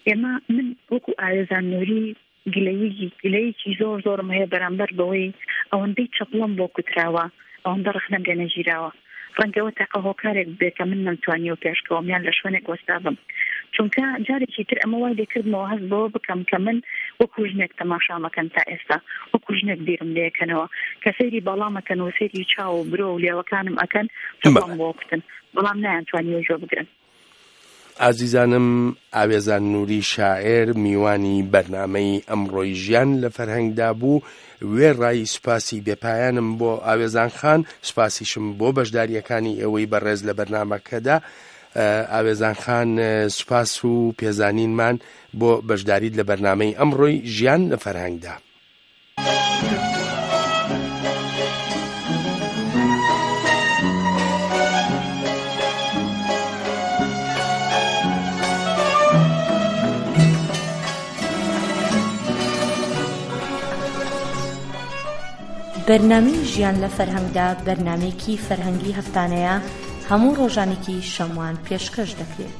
ئێمە، من وەکو ئاوێزان نووری گلەیی، گلەیەکی زۆر زۆرم هەیە بەرامبەر بەوەی ئەوەندەی چەپڵەم بۆ کوتراوە، ئەوەندە ڕەخنەم لێ نەگیراوە. ڕەنگەوە تاقە هۆکارێک بێ کە من نەمتوانیوە پێشکەوەم یان لە شوێنێک وەستا بم. چونکە جارێکی تر ئەمە وای لێکردمەوە هەست بەوە بکەم کە من وەکو ژنێک تەماشام ئەکەن تا ئێستا، وەکو ژنێک بیرم لێ ئەکەنەوە، کە سەیری باڵام ئەکەن و سەیری چاو و برۆ و لێوەکانم ئەکەن، چەپڵەم بەڵێ. بۆ کوتن، بەڵام نایانتوانی وەژۆ بگرن. ئازیزانم، ئاوێزان نووری شاعر میوانی بەرنامەی ئەمڕۆی ژیان لە فەرهەنگدا بوو. وێڕای سوپاسی بێپایانم بۆ ئاوێزان خان، سوپاسیشم بۆ بەشداریەکانی ئێوەی بەڕێز لە بەرنامەکەدا. ئە، ئاوێزان خان، ئە، سوپاس و پێزانینمان بۆ بەشداریت لە بەرنامەی ئەمڕۆی ژیان لە فەرهەنگدا. بەرنامەی ژیان لە فەرهەنگدا، بەرنامەیەکی فەرهەنگی هەفتانەیە، هەموو ڕۆژانێکی شەموان پێشکەش دەکرێت.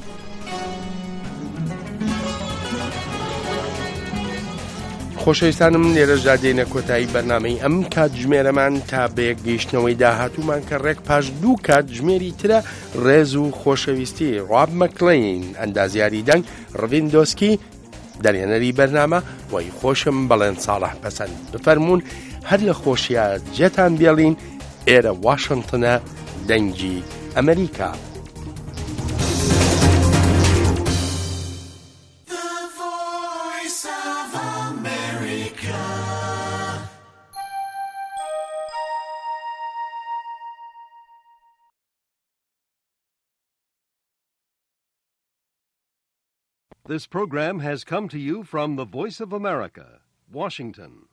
خۆشەویستانم، لێرەشدا دێنە کۆتایی بەرنامەی ئەم کاتژمێرەمان. تا بەیەک گەیشتنەوەی داهاتوومان کە ڕێک پاش دوو کاتژمێری ترە، ڕێز و خۆشەویستی ڕاب مەکلین، ئەندازیاری دەنگ، ڕڤین دۆسکی، دەرهێنەری بەرنامە، وای خۆشم بەڵێن ساڵح پەسەند. بفەرموون، هەر لە خۆشیە جێتان بێڵین. ئێرە واشنگتنە، دەنگی Emerîka. This program has come to you from the Voice of America, Washington.